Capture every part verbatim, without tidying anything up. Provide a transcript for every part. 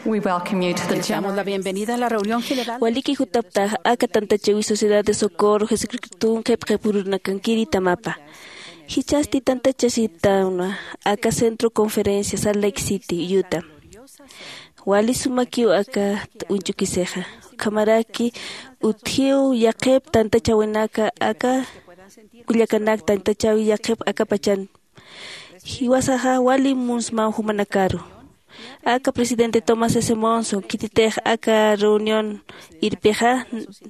We welcome you to the Les damos la general bienvenida a la reunión general. Waliki jutaptax aka tantachäwi Sociedad de Socorro Jesucristo tunkip qhipürunakankiri tamapa. Jichhasti tantachasiptanwa aka Centro Conferencia Salt Lake City, Utah. Wali sumakiw aka uñch'ukisixa. Ukhamaraki utjiw yaqhip tantachäwinaka aka kullakanak tantachäwi yaqhip aka pachan. Jiwasaxa wali munsmaw jumanakaru. Aka presidente Thomas S. Monson, khititix aka reunión irpixa,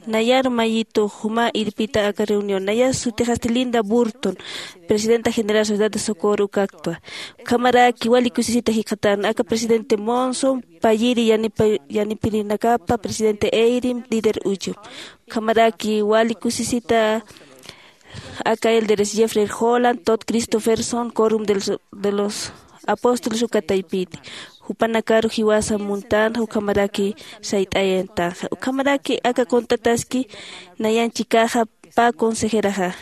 nayar mayitu juma irpita aka reunión. Nayar sutixasti Linda Burton, presidenta general Sociedad de Socorro ukaktwa. Ukhamaraki wali kusisita jikxatän, aka presidente Monson, payiri yanipa-, yanipirinakapa presidente Eyring, líder uchu. Ukhamaraki wali kusisita aka elderes Jeffrey Holland, Todd Christofferson, Quórum de los, de los Apóstoles uka taypiti. Jupanakaru jiwasa muntänxa, ukhamaraki sayt'ayantanxa. Ukhamaraki aka contrataski nayan chikaxa pä consejeraxa,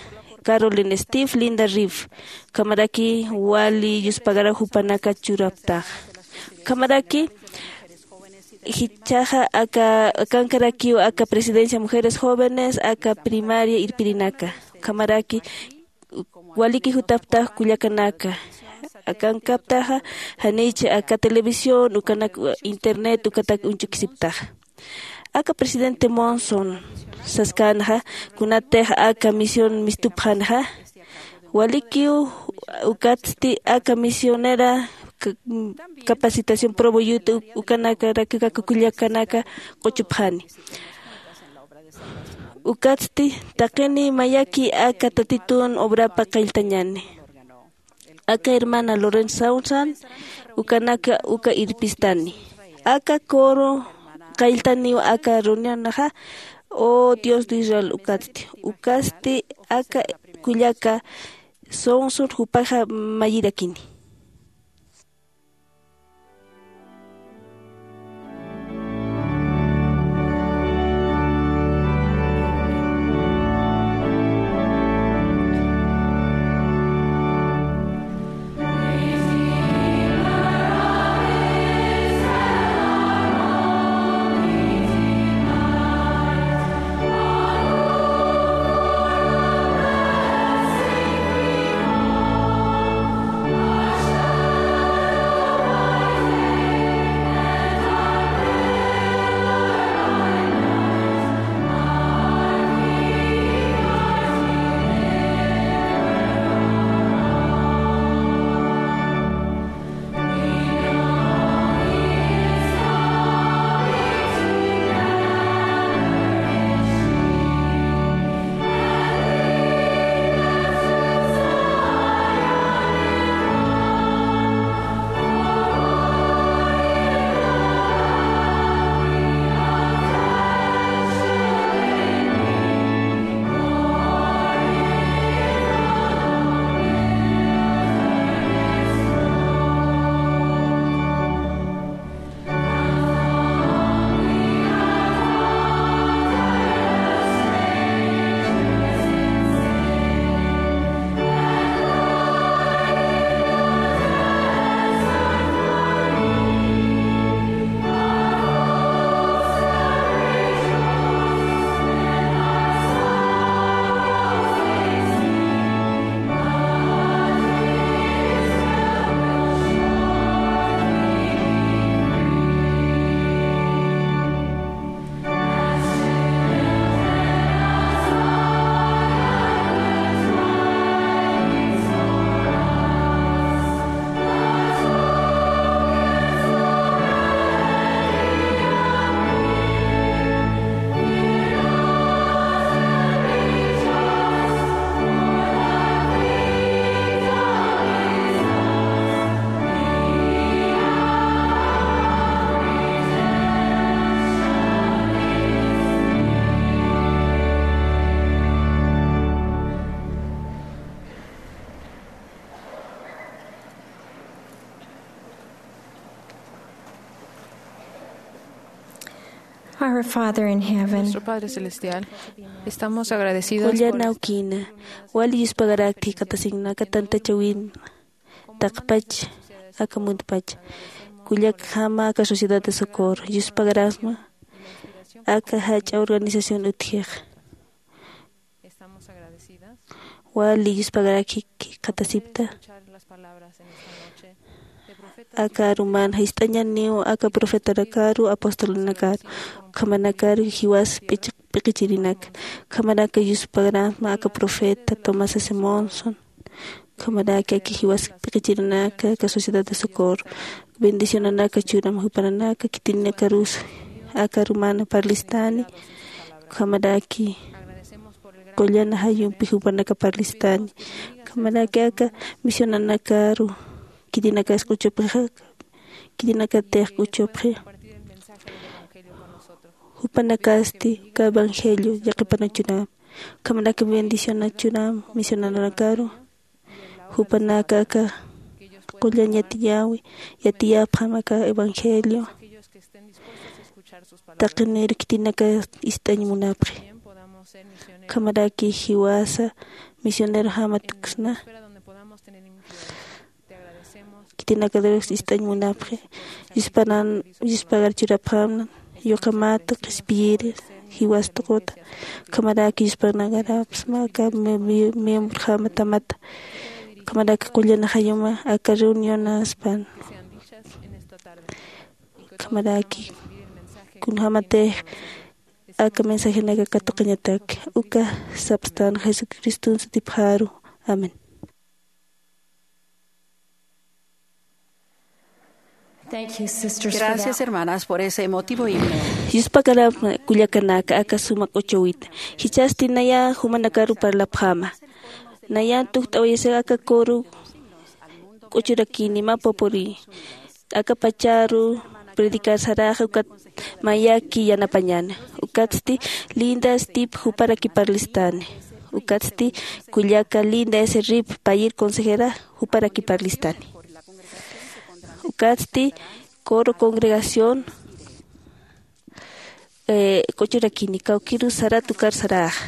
Carolyn Steve, Linda Reeve. Ukhamaraki wali yuspagaraw jupanaka churaptaxa. Ukhamaraki jichhaxa aka, akankarakiw aka presidencia Mujeres Jóvenes, aka primaria irpirinaka. Ukhamaraki waliki jutaptax kullakanaka. Akankaptaxa janich aka televisión, ukanak internet, ukatak uñch'ukisiptaxa. Aka presidente Monson saskänxa, kunatix aka misión mistupxänxa, walikiw ukatsti aka misionera ca-, capacitación Provo Utah u-, ukanakarak aka kullakanaka q'uchupxani. Ukatsti taqini mayaki aka Tatitun obrapa qalltañani. Aka hermana Loren Sausan, ukanaka uka irpistani. Aka coro qalltaniw aka reunionaxa, O Dios de Israel ukatsti. Ukatsti aka kullaka Sausan jupaxa mayirakini. Our Father in heaven, Nuestro Padre Celestial, estamos agradecidos por Kullana ukina, wali yuspagarakti jikxatasiñanaka tantachäwin taqpach, aka muntpach. kullakjama aka Sociedad de Socorro, yuspagarasma aka jach'a organización utjix. Wali yuspagaraki jikxatasipta. Aka aruman jist'añaniw aka profetanakaru, apostolnakaru, ukhamanakaru jiwas p'ichiq p'iqichirinaka. Ukhamaraki yuspagarasma aka profeta Tomás S. Monson. Ukhamaraki aka jiwas p'iqichirinaka aka Sociedad de Socorro. Bendicionanaka churam jupananaka, khitinakarus aka arumana parlistani. Ukhamaraki qullan ajayumpi jupanaka parlistani. Ukhamaraki aka misionanakaru khitinakas k'uchupxixa, khitinakatix k'uchupxi. Jupanakasti uka evangelio yaqhipanachunam, ukhamaraki bendicionachunam misionanakaru. Jupanaka aka qullan yatiyäwi, yatiyapxam aka evangelio. Taqinir khitinaka ist'añ munapxi. Ukhamaraki jiwasa misionerojama tuksna. Khitinakatirus ist'añ munapxi. Yuspanan, yuspagar churapxamna, yuqamat qhispiyiri jiwas tuquta. Ukhamaraki yuspanagarapxsma aka mi-, mi-, miembrojama tamata. Ukhamaraki qullan ajayuma aka reunionaspan. Ukhamaraki kunjamatix aka mensajenaka katuqañataki. Uka sapxtan Jesucriston sutipxaru. Amén. Thank you, sisters, for that. Gracias, hermanas, por ese emotivo himno. Yuspagarapxi kullakanaka aka suma k'uchuwita. Jichhasti naya jumanakaru parlapxäma. Nayan tukt'awayasix aka coro k'uchurakini mä pupuriy. Aka pacharu predicar saraxa, ukat mayaki yanapañäni. Ukatsti Linda Stipp juparaki parlistani. Ukatsti kullaka Linda S. Rip, payïr consejera, juparaki parlistani. Ukatsti coro congregación, eh, k'uchurakini, kawkïrus sarat ukar saraxa.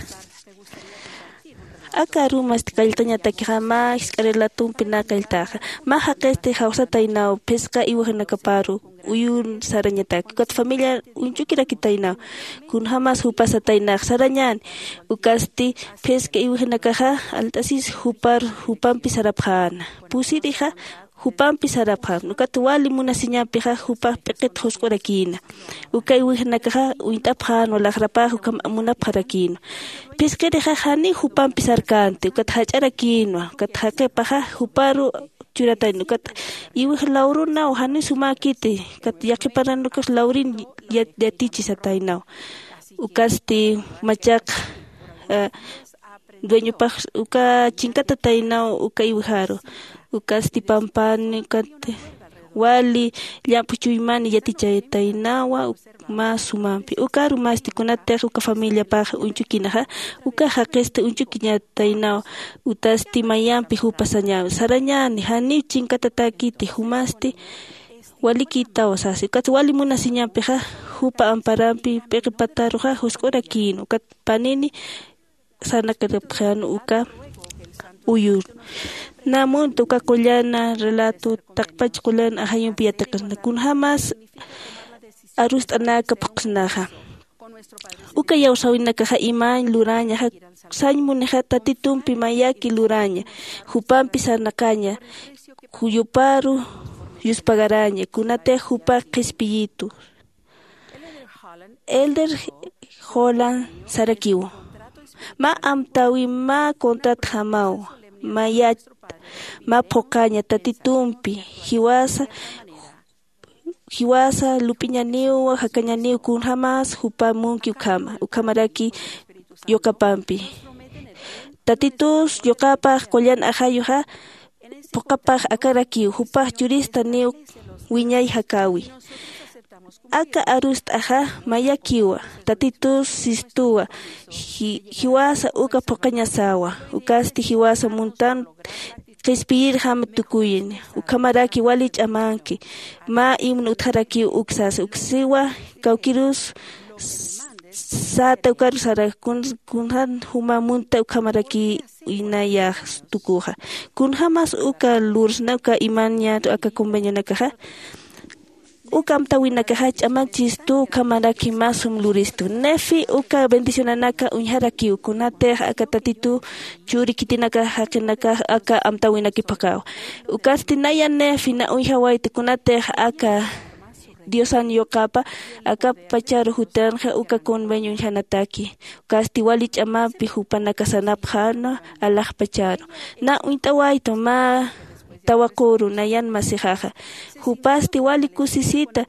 Aka arumasti qalltañatakixa, mä jisk'a relatompi nä qalltaxa. Mä jaqisti jawsataynaw phisqa iwjinakaparu uyun sarañataki. Ukat familia uñch'ukirakitaynaw. Kunjämas jupa sataynax sarañäni. Ukasti phisqa iwjinakaxa alt'asis jupar, jupampi sarapxäna. Pusirixa jupampi sarapxäna. Ukat wali munasiñampixa jupax p'iqit jusq'urakïna. Uka iwjinakaxa uñt'apxänwa laxrapax ukham munapxarakïnwa. Phisqirixa janiw jupampi sarkänti, ukat jach'arakïnwa, ukat jaqipaxa juparu churatayna, ukat iwji lawrunaw janiw sumäkiti, ukat yaqhiparanakax lawrin yat-, yatichi sataynaw. Ukasti machaq, eh, dueñopax uka chinkatataynaw uka iwjaru. Ukasti pampani, ukat wali llamp'u chuymani yatichayataynawa, uk-, mä sumampi. Uka arumasti kunatix uka familiapax uñchukinaxa, uka jaqisti uñchukiñataynaw, utasti mayampi jupa sañäwi. Sarañäni, janiw chinkatatäkiti, jumasti walikïtaw sasi. Ukat wali munasiñampixa, jupa amparampi p'iqi pataruxa jusq'urakïn. Ukat panini sarnaqiripxän uka uyur. Nä munta uka qullan relato taqpach qullan ajayumpi yatiqisna. Kunjämas arust'anaka phuqsnaxa. Uka iyawsäwinakaxa imañ lurañaxa, sañ munixa Tatitumpi mayaki luraña, jupampi sarnaqaña, kuyuparu yuspagaraña, kunatix jupax qhispiyitu. Elder Holland sarakiw: Mä amtäwi mä contratjamaw, mayat, mä phuqaña Tatitumpi, jiwasa, jiwasa lup'iñaniw, jakañaniw, kunjämas jupa munki ukhama, ukhamaraki yuqapampi. Tatitus yuqapax qullan ajayuxa, phuqapax akarakiw, jupax churistaniw wiñay jakäwi. Aka arust'axa mayakiwa, Tatitus sistuwa, ji-, jiwasa uka phuqañasawa, ukasti jiwasa muntan qhispiyirjam tukuyin, ukhamaraki wali ch'amanki, mä himno utjarakiw uksas, uksiwa, kawkïrus s-, säta ukar sara kun-, kunjan juma munta ukhamaraki inayax tukuxa. Kunjämas uka lursna uka imaña aka convenionakaxa. Uka amtäwinakaxa ch'amachistu, ukhamaraki mä sum luristu. Nefi uka bendicionanaka uñjarakiw, kunatix aka Tatitu churi khitinaka jaqinakax aka amtäwinaki phuqhawa. Ukasti naya Nefi na uñjawayta, kunatix aka Diosan yuqapa akapachar jutanxa uka convenio uñjanataki. Ukasti wali ch'amampi jupanaka sarnapxänwa alaxpacharu. Na uñt'awaytu mä tawaquru nayan masixaxa. Jupasti wali kusisita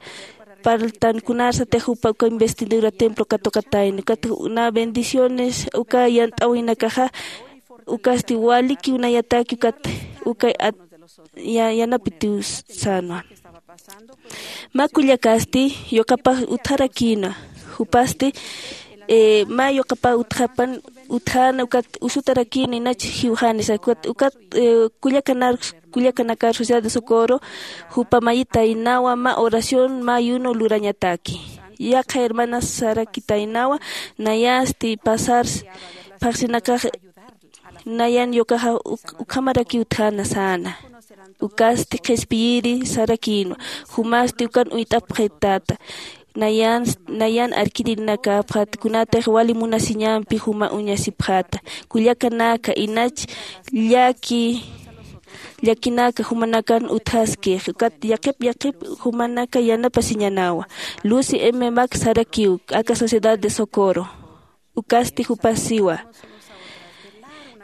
parltan kunarsatix jupa uka investidura templo katuqatayna. Ukat na bendiciones uka yant'awinakaxa ukasti walikiw nayataki ukat uka at- ya- yanapitiw sänwa. Mä kullakasti yuqapax utjarakïna. Jupasti eh, mä yuqapax utjapan utjäna ukat usutarakïna inach jiwxänisa ukat ukat eh, kullakanar kullakanakar Sociedad de Socorro jupa mayitaynawa mä oración mä ayuno lurañataki. Yaqha hermanas sarakitaynawa nayasti pasar phaxsinakax nayan yuqaxa uk- ukhamaraki utjäna säna. Ukasti qhispiyiri sarakïnwa. Jumasti ukan uyt'apxitata. Nayan nayan arkirinakapxat kunatix wali munasiñampi juma uñasipxäta. Kullakanaka inach llaki llakinaka jumanakan utjaskix ukat yaqhip yaqhip jumanaka yanapasiñänawa. Lucy M mac sarakiw aka Sociedad de Socorro. Ukasti jupasiwa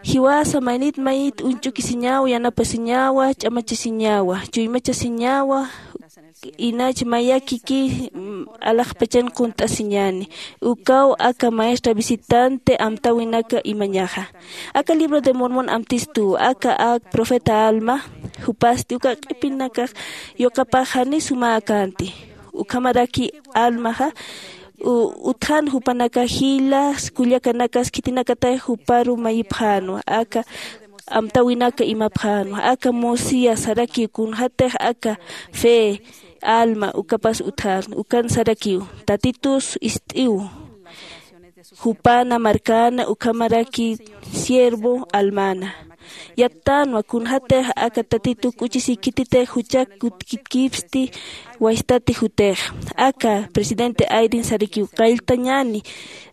jiwasa mayit mayit uñch'ukisiñawa yanapasiñawa ch'amachasiñawa chuymachasiñawa. Inach mayakiki alaxpachan qunt'asiñäni. Ukaw aka maestra visitante amtäwinaka imañaxa aka libro de Mormon amtistuw aka ak profeta Alma. Jupasti uka q'ipinakax yuqapax jani sumäkänti. Ukhamaraki Almaxa utjan jupanaka jilas kullakanakas khitinakatay juparu mayipxänwa aka amtäwinaka imapxänwa aka Mosías sarakiw kunxatix aka fe Alma ukapas utjarna ukan sarakiw tatitus ist'iw. Jupana markana ukhamaraki siervo Almana yattänwa kunxatix aka tatitu k'uchisiy khititix juchak kutkitkipsti waystati jutix. Aka presidente Ayrin sarakiw qalltañäni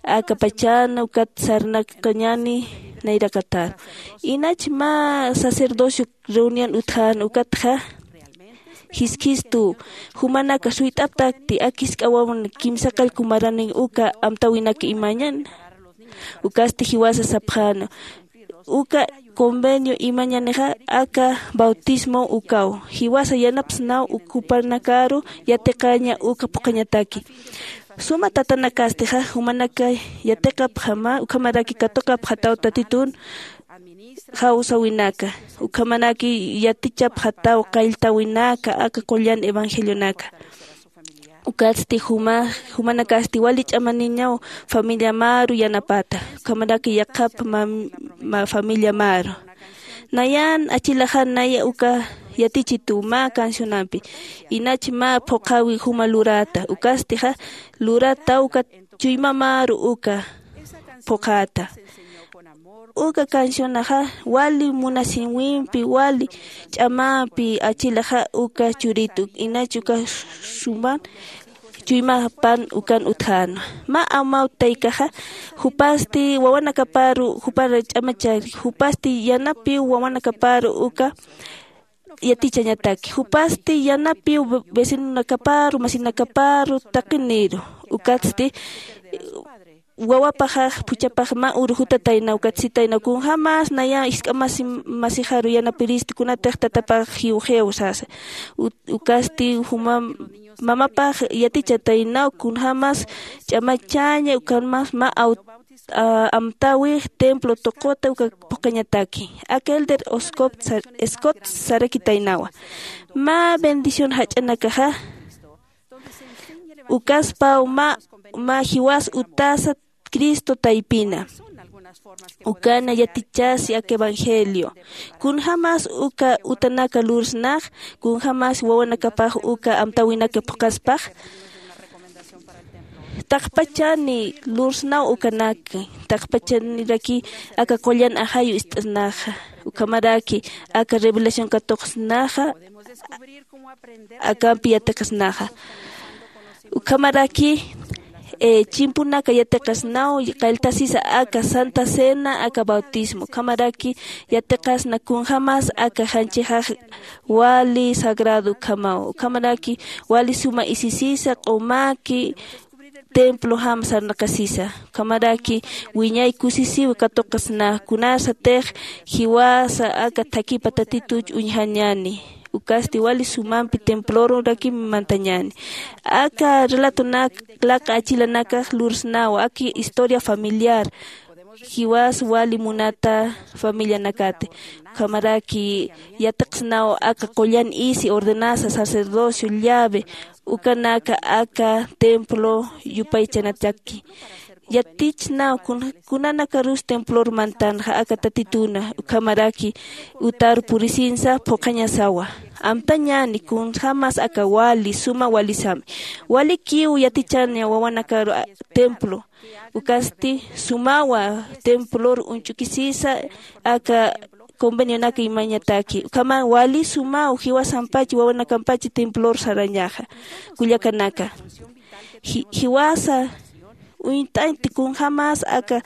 aka pachana ukat sarnaqañäni nayraqatar. Inach mä sacerdocio reunión utjän ukatxa jiskhistu jumanaka suyt'aptakti ak jisk'a wawan kimsa qallku maranin uka amtäwinak imañan. Ukasti jiwasa sapxäna uka convenio imañanixa aka bautismo ukaw jiwasa yanapsnaw ukhupanakaru yatiqaña uka phuqhañataki. Suma tatanakastixa jumanaka yatiqapxama ukhamaraki katuqapxataw tatitun jawsäwinaka ukhamaraki yatichapxataw qalltäwinaka aka qullan evangelionaka. Ukatsti juma jumanakasti wali ch'amaniñaw familia maru yanapata ukhamaraki yaqhap familia maru. Nayan achilaxan naya uka yatichituw mä cancionampi inach mä phuqhäwi juma luräta ukastixa lurätaw uka chuymamaru uka phuqhäta. Uka cancionaxa wali munasiwimpi wali ch'amampi achilaxa uka churitu inach uka suman chuymapan ukan utjänwa. Mä amawtaykaxa jupasti wawanakaparu jupar ch'amachari jupasti yanapiw wawanakaparu uka yatichañataki jupasti yanapiw vecinonakaparu masinakaparu taqiniru. Ukatsti wawapaxax phuchhapax mä uru jutataynaw ukat sitaynaw kunjämas naya jisk'a masi masixaru yanapiristi kunatix tatapax jiwxiw sasa. Ukasti juma mamapax yatichataynaw kunjämas ch'amachaña ukhamas mä amtäwix templo tuquta uka phuqhañataki. Aka elder scott sarakitaynawa mä bendición jach'anakaxa ukaspaw mä mä jiwas utasa cristo taypina. Ukana yatichasi aka evangelio kunjämas uka utanaka lursnax kunjämas wawanakapax uka amtäwinaka phuqhaspax. Taqpachani lursnaw ukanaki taqpachaniraki aka qullan ajayu ist'asnaxa ukhamaraki aka revelación katuqsnaxa. akampi yatiqasnaxa. Ukhamaraki chimpunaka yatiqasnaw qalltasisa aka santa cena aka bautismo ukhamaraki yatiqasna kunjämas aka janchixax wali sagrado ukhamaw ukhamaraki wali suma isisisa q'umaki templojam sarnaqasisa ukhamaraki wiñay kusisiw katuqasna kunasatix jiwasa aka thakhipa tatituch uñjañäni. Ukasti wali sumampi templorurakim mantañäni. Aka relatonak laqa achilanakax lursnawa aki historia familiar jiwas wali munata familianakati ukhamaraki yatiqsnaw aka qullan isi ordenanza sacerdocio llave ukanaka aka templo yupaychanataki. Yatichsnaw kunanakarus templor mantanxa aka tatituna ukhamaraki utar purisinsa phuqhañasawa. Amtañäni kunjämas aka wali suma walisami walikiw yatichaña wawanakaru templo ukasti sumawa templor uñch'ukisisa aka convenionaka imañataki ukhama wali sumaw jiwasampachi wawanakampachi templor sarañaxa. Kullakanaka jiwasa uñt'añti kunjämas aka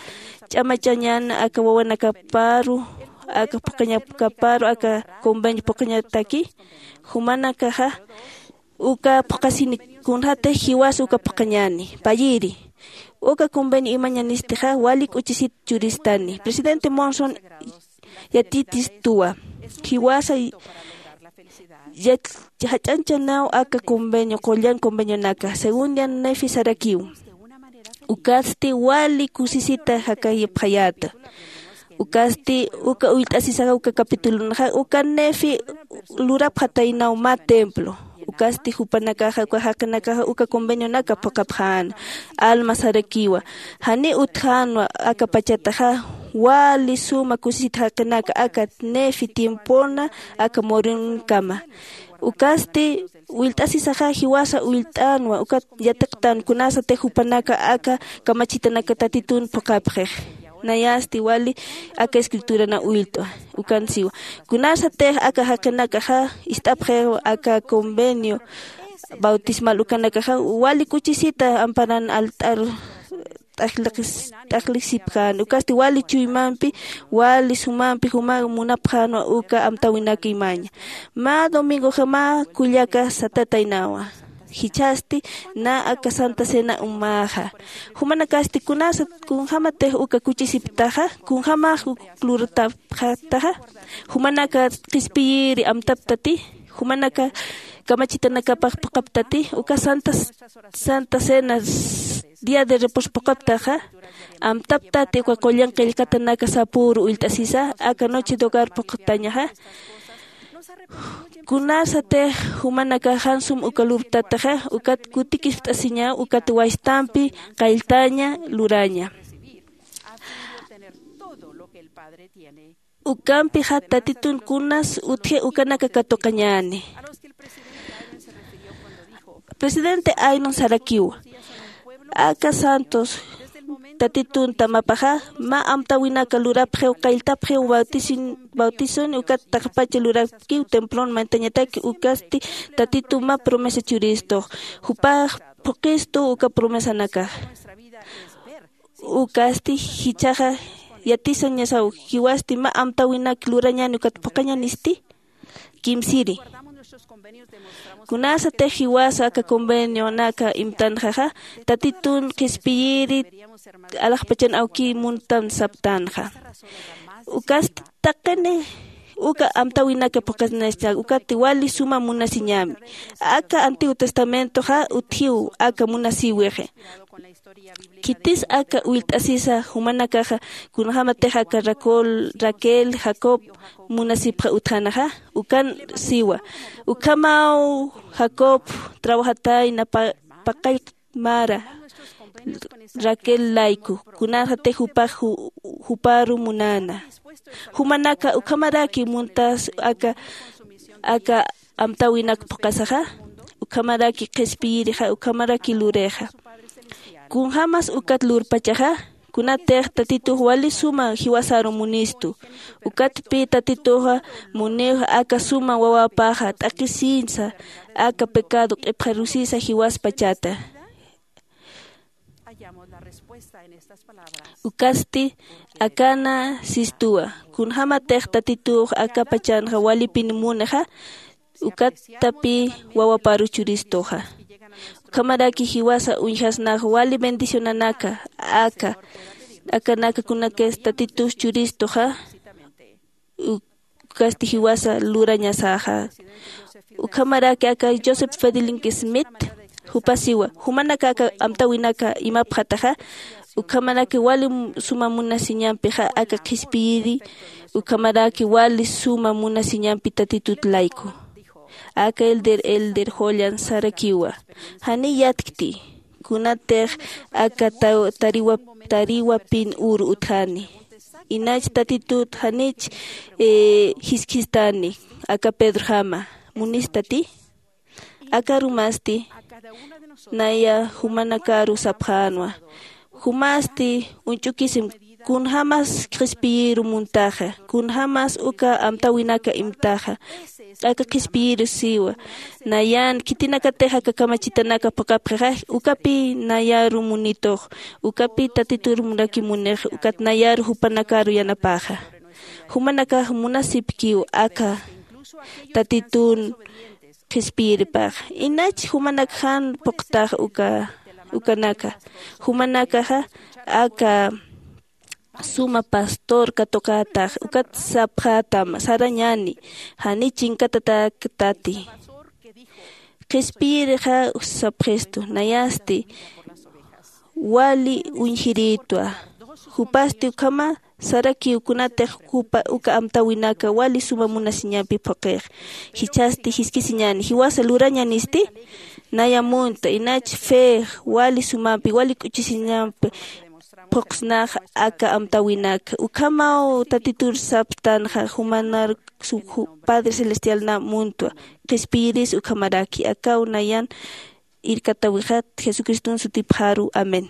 ch'amachañan aka wawanakaparu aka phuqhañakaparu aka convenio phuqhañataki jumanakaxa uka phuqhasini kunjätix jiwas uka phuqhañäni payiri uka convenio imañanistixa wali k'uchisit churistani presidente monson yatitistuwa jiwasa jach'anchanaw aka convenio qullan convenionaka según diana nefi sarakiw ukasti wali kusisita jakayapxayäta. Ukasti uka ullt'asisaxa uka capitulunxa uka nefi lurapxataynaw mä templo ukasti jupanakaxa uka jaqinakaxa uka convenionaka phuqhapxäna. Alma sarakiwa janiw utjänwa aka pachataxa wali suma kusisita jaqinaka aka nefi tiempona aka morinkama. Ukasti ullt'asisaxa jiwasa ullt'änwa ukat yatiqtän kunasatix jupanaka aka kamachitanaka tatitun phuqhapxix. Nayasti wali aka escriturana ullt'wa ukan siwa kunasatix aka jaqinakaxa ist'apxiw aka convenio bautismal ukanakaxa wali k'uchisita amparan alt'ar t'aqlixipxän ukasti wali chuymampi wali sumampi juma munapxänwa uka amtäwinak imaña. Mä domingoxa mä kullaka satataynawa jichhasti na aka santa cena umaxa. Jumanakasti kunasat kunjämatix uka kuchisiptaxa kunjämax uk lurtapxataxa jumanaka qhispiyiri amtaptati jumanaka kamachitanakapax phuqhaptati uka santa santa cena día de reposo phuqhaptaxa amtaptati uka qullan qillqatanaka sapüru ullt'asisa aka noche de hogar phuqhtañaxa. Kunasatix jumanaka jan sum uka lurtataxa ukat kutikispt'asiñaw ukat waystampi qalltaña luraña. Ukampixa tatitun kunas utji ukanaka katuqañäni. Presidente aynon sarakiwa aka santos tatitun tamapaxa mä amtäwinaka lurapxiw qalltapxiw bautizon ukat taqpacha lurapkiw templon mantañataki ukasti tatitu mä promesa churistux jupax phuqistu uka promesanakax. Ukasti jichhaxa yatisañasaw jiwasti mä amtäwinak lurañäni ukat phuqhañänisti kimsiri. Kunasatix jiwasa aka convenionaka imtanxaxa tatitun qhispiyiri alaxpachan awkiy muntan saptänxa. Ukasti taqini uka amtäwinaka phuqasnasta ukati wali suma munasiñämi. Aka antiguo testamentoxa utjiw aka munasïwixi. Khitis aka ullt'asisa jumanakaxa kunjämatix aka raquel jacob munasipxa utjänaxa ukan siwa. Ukhamaw jacob trabajatayna paqallq mara raquel layku kunasatix jupax juparu munäna. Jumanaka ukhamaraki muntas aka aka amtäwinak phuqasaxa ukhamaraki qhispiyirixa ukhamaraki lurixa. Kunjämas ukat lurpachaxa Kunatix tatitux wali suma jiwasaru munistu. Ukatpi tatituxa munixa aka suma wawapaxa t'aqhisiñsa aka pecado q'ipxarusisa jiwaspachata. Ukasti akana sistuwa. Kunjämatix tatitux aka pachanxa walipin munixa, ukatapï wawaparu churistuxa. Ukhamaraki jiwasa uñjasnax wali bendicionanaka aka, akanaka kunakis tatitus churistuxa, ukasti jiwasa lurañasaxa. Ukhamaraki aka Joseph Fielding Smith, jupa siwa, jumanaka aka amtäwinaka imapxataxa, ukhamaraki wali suma munasiñampixa aka qhispiyiri, ukhamaraki wali suma munasiñampi tatitut layku. Aka Elder, Elder Holland sarakiwa. Janiy yatkti, kunatix aka ta-, tariwa-, tariwapin uru utjani. Inach tatitut janich, eh, jiskhistani, aka Pedrojama. Munistati? Aka arumasti, naya jumanakaru sapxänwa. Jumasti uñch'ukisim kunjämas qhispiyiru muntaxa, kunjämas uka amtäwinaka imtaxa. Aka qhispiyiru siwa. Nayan khitinakatix aka kamachitanaka phuqhapxixa, ukapï nayaru munitux, ukapï tatitur munaki munix, ukat nayaru jupanakaru yanapaxa. Jumanakax munasipkiw aka tatitun qhispiyiripax. Inach jumanak jan phuqtax uka, ukanaka. Jumanakaxa aka suma pastor katuqätax, ukat sapxätam, sarañäni, jani chinkatatäktati. Qhispiyirixa sapxistu, nayasti, wali uñjirïtwa. Jupasti ukhama, sarakiw kunatix jupa uka amtäwinaka wali suma munasiñampi phuqhix. Jichhasti jiskisiñäni, jiwasa lurañänisti, naya munta, inach fe, wali sumampi, wali k'uchisiñampi phuqsnax aka amtäwinaka. Ukhamaw tatitur saptanxa, jumanar su-, ju-, Padre Celestial na muntwa, qhispiyiris ukhamaraki, akaw nayan irkatawixat Jesucristun sutipxaru. Amén.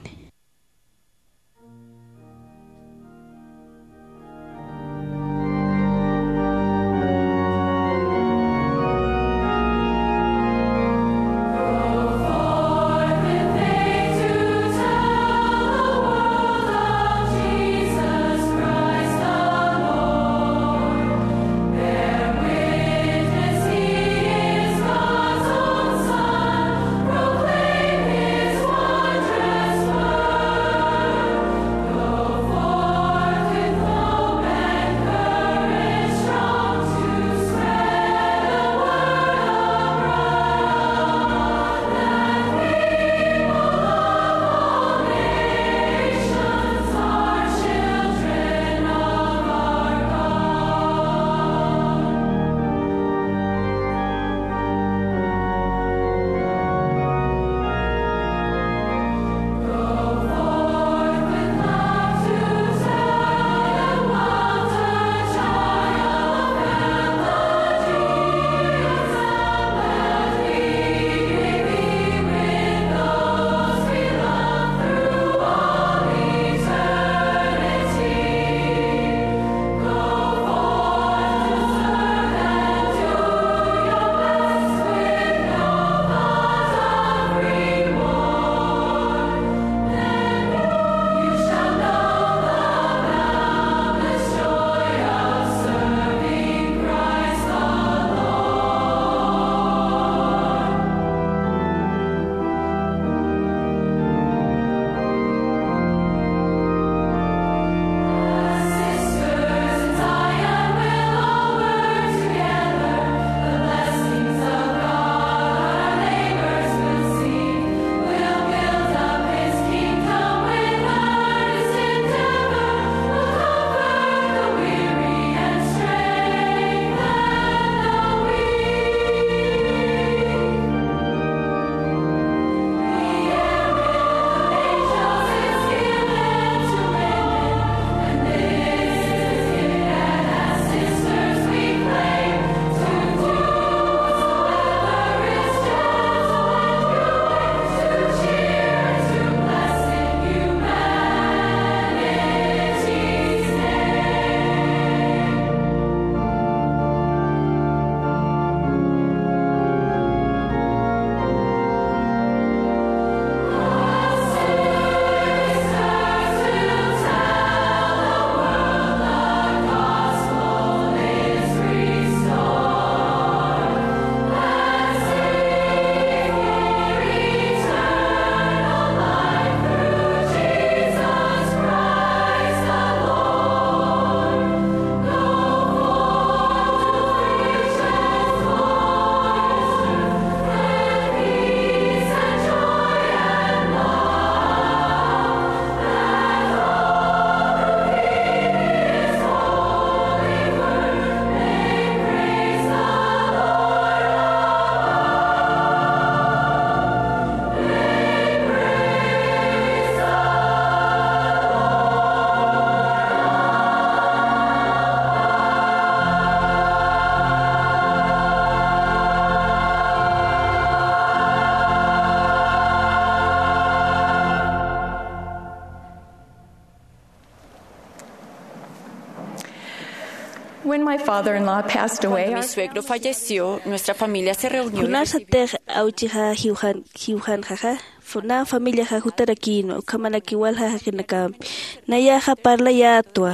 When my father-in-law passed away, mi suegro falleció, nuestra familia se reunió y recibió kunasatix awchixa jiwxan jiwxanxaxa, na familiaxa jutarakïnwa ukhamaraki walja jaqinakampi. Nayaxa parlayätwa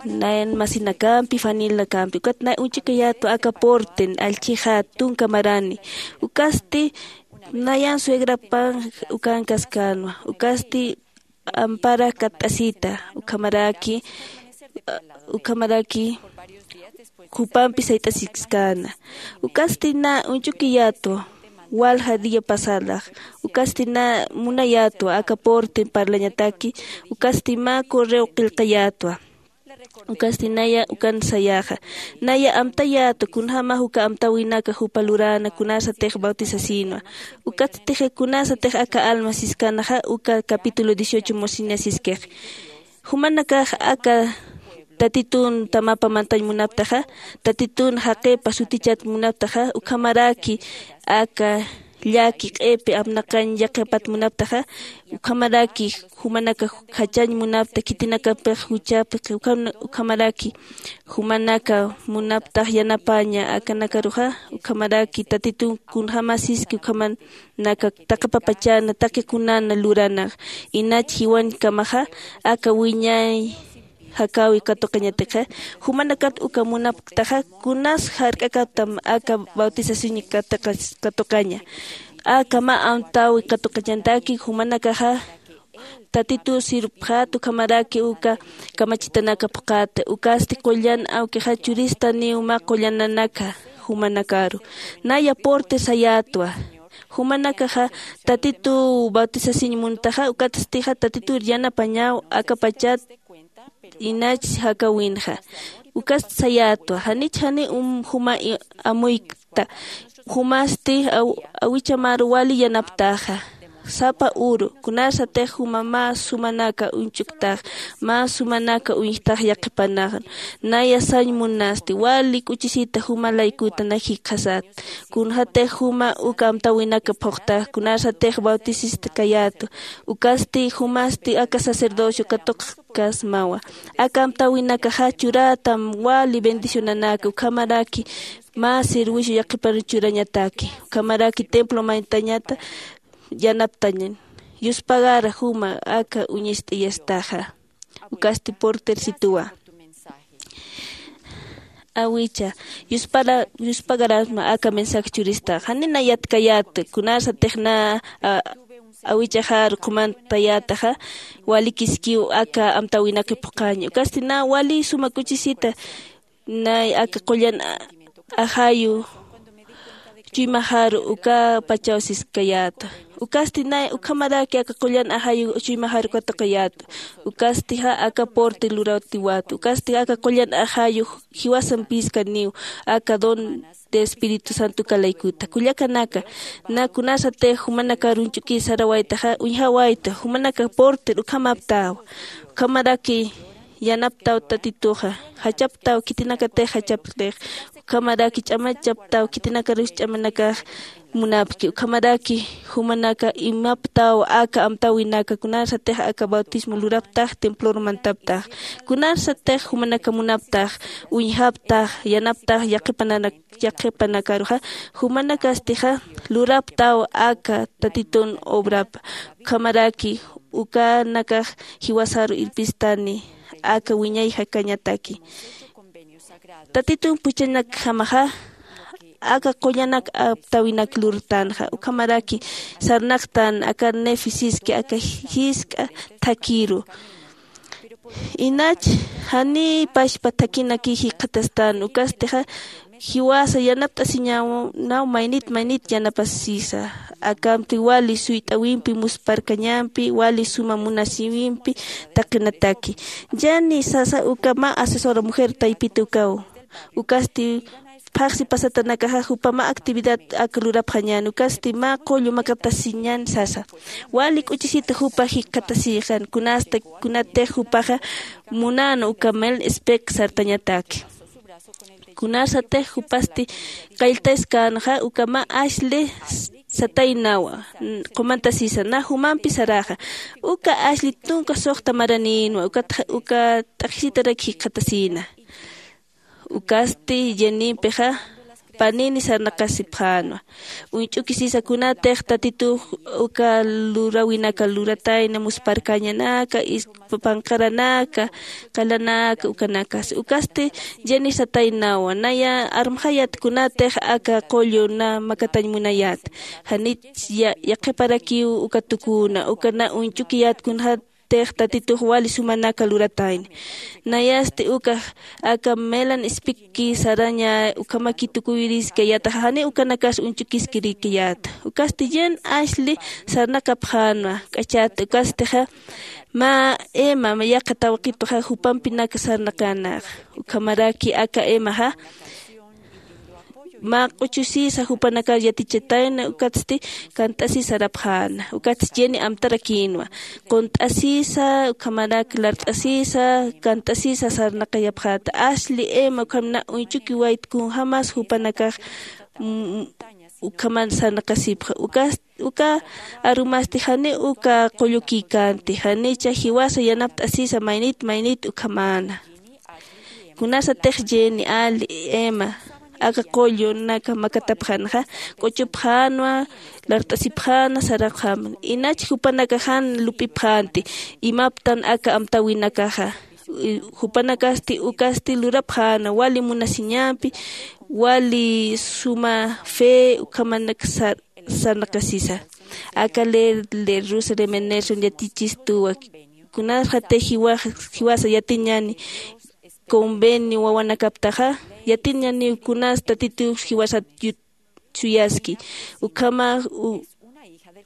nayan masinakampi, fanilnakampi ukat nay uñchukayätwa aka porten allchhixat tunka marani. Ukasti nayan suegrapan ukankaskänwa. Ukasti ampara katt'asita ukhamaraki ukhamaraki jupampi sayt'asiskana. Ukasti na uñchukiyätwa walja dia pasadax. Ukasti na munayätwa aka porten parlañataki. Ukasti mä correo qillqayätwa. Ukasti naya ukan sayaxa naya amtayätwa kunjämax uka amtäwinaka jupa luräna kunasatix bautizasinwa. Ukatstix kunasatix aka alma siskanaxa uka capítulo dieciocho mosina siskix. Jumanakax aka tatitun tamapa mantañ munaptaxa, tatitun jaqipa sutichat munaptaxa ukhamaraki aka llaki q'ipi apnaqañ yaqipat munaptaxa. Ukhamaraki jumanaka jachañ munapta khitinakapix juchapi ukhamaraki jumanaka munaptax yanapaña akanakaruxa. Ukhamaraki tatitun kunjämasiski ukhamanaka taqi papachana taqi kunana luranax inach jiwañkamaxa aka wiñay jakäwi katuqañatixa. Jumanakat uka munapktaxa kunas jark'akaptam aka bautización katuqaña. Aka mä amtäwi katuqañataki jumanakaxa tatituw sirpxät ukhamaraki uka kamachitanaka phuqhäta. Ukasti qullan awkixa churistaniw mä qullananaka jumanakaru naya porte sayätwa. Jumanakaxa tatituw bautizasiñ muntaxa ukatstixa tatituw yanapañaw akapachat inach jakäwinxa. Ukast sayätwa janich jani juma amuykta. Jumasti awichamaru wali yanaptaxa sapa uru kunasatix juma mä sumanaka uñchuktax mä sumanaka uñjtax yaqhipanaxan. Naya sañ munasti wali k'uchisita juma laykuta na jikxasat. Kunxatix juma uka amtäwinaka phuqtax kunasatix bautisista kayätwa. Ukasti jumasti aka sacerdocio katuqkasmawa. Aka amtäwinakaxa churätam wali bendicionanaka ukhamaraki mä servicio yaqhiparu churañataki ukhamaraki templo maytañata yanaptañan. Yuspagara juma aka uñist'iyastaxa. Ukasti portersituwa awicha yuspagarasma aka mensaje churistaxa janina yatkayäta kunasatix na awichaxar qumantayätaxa. Walikiskiw aka amtäwinaka phuqhaña ukasti na wali suma k'uchisita nay aka qullan ajayu chuymaxaru ukapachaw siskayäta. Ukasti nay ukhamaraki aka qullan ajayu chuymaxaru katuqayäta. Ukastixa aka porte lurawtiwäta ukasti aka qullan ajayu jiwasampiskaniw aka don de espíritu santo uka laykuta kullakanaka. Na kunasatix jumanakar uñch'ukir sarawaytaxa uñjawayta jumanaka porter ukhamaptäwa. Ukhamaraki yanaptaw tatituxa jachaptaw khitinakatix jachaptix. Ukhamaraki ch'amachaptaw khitinakarus ch'amanakax munapki ukhamaraki jumanaka imaptaw aka amtäwinaka kunarsatix aka bautismo luraptax templor mantaptax kunarsatix jumanaka munaptax uñjaptax yanaptax yaqhipanakaruxa. Jumanakastixa luraptaw aka tatitun obrapa ukhamaraki ukanakax jiwasaru irpistani aka wiñay jakañataki. Tatitun puchanakjamaxa aka qullanak aptawinak lurtanxa ukhamaraki sarnaqtan aka nefisiski aka jisk'a thakhiru. Inach jani pachpa thakhinaki jikxatastan ukastixa jiwasa yanapt'asiñaw naw maynit maynit yanapasisa. Akamti wali suyt'awimpi musparkañampi wali suma munasiwimpi taqinataki. Yani sasa uka mä asesora mujer taypita ukaw ukasti phaxsi pasatanakaxa jupa mä actividad aka lurapxañän ukasti mä qullu makatasiñän sasa. Wali k'uchisita jupa jikxatasixan kunasta kunatix jupaxa munän uka mel espec sartañataki. Kunasatix jupasti qalltaskänxa uka mä asli sataynawa qumantasisa na jumampi saraxa. Uka asli tunka suxta maranïnwa uka t'aqhisitarak jikxatasïna. Ukasti jenimpixa panini sarnaqasipxänwa. Uñch'ukisisa kunatix tatitux uka luräwinaka luratayna musparkañanaka, panqaranaka, qalanaka ukanakas. Ukasti jenisataynawa naya armxayat kunatix aka qullu na makatañ munayät. Janit yaqhiparakiw uka tukuna uka na uñch'ukiyät kunatix tatitux wali sumanaka luratayna. Nayasti uka aka melan ispikki saraña ukhamaki tukuyiriskayätaxa janiw ukanakas uñch'ukiskirikiyäta. Ukasti yen asli sarnaqapxänwa k'achat ukastixa mä ema yaqha tawqituxa jupampinak sarnaqänaxa. Ukhamaraki aka emaxa mä q'uchusisa jupanakar yatichatayna ukatsti kant'asisa sarapxäna. Ukatsti yeni amtarakïnwa qunt'asisa ukhamarak lart'asisa kant'asisa sarnaqayapxäta. Asli ema ukham na uñch'ukiwayt kunjämas jupanakax ukhaman sarnaqasipxa. Uka arumasti janiw uka qullukïkänti janicha jiwasa yanapt'asisa maynit maynit ukhamäna. Kunasatix yeni ali ema aka qullunaka makatapxänxa q'uchupxänwa, lart'asipxäna sarapxäman. Inach jupanakax jan lup'ipxänti imaptan aka amtäwinakaxa. Jupanakasti ukasti lurapxäna wali munasiñampi wali suma fe ukhamanak sarnaqasisa. Aka ler ler rusa remenerson yatichistuwa kunasxatix jiwasa yatiñani convenio wawanakaptaxa yatiñaniw kunas tatitux jiwasat suyaski ukhamax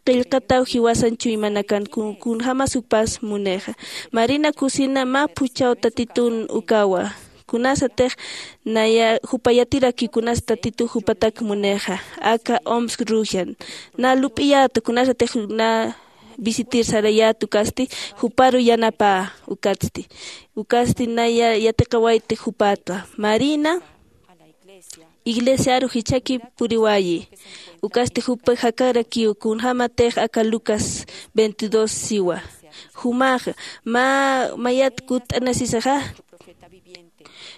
qillqataw jiwasan chuymanakan kunjämas jupas munixa. Marina kusina mä phuchhaw tatitun ukawa. Kunasatix naya jupa yatiraki kunas tatitux jupatak munixa aka omsk rugian na lup'iyäta kunasatix na visitir sarayät ukasti juparu yanapä. Ukatsti ukasti naya yatiqawayti jupatwa marina iglesiaru jichhaki puriwayi. Ukasti jupa jakarakiw kunjämatix aka lucas veintidós siwa. Jumaxa mä mayat kutt'anasisaxa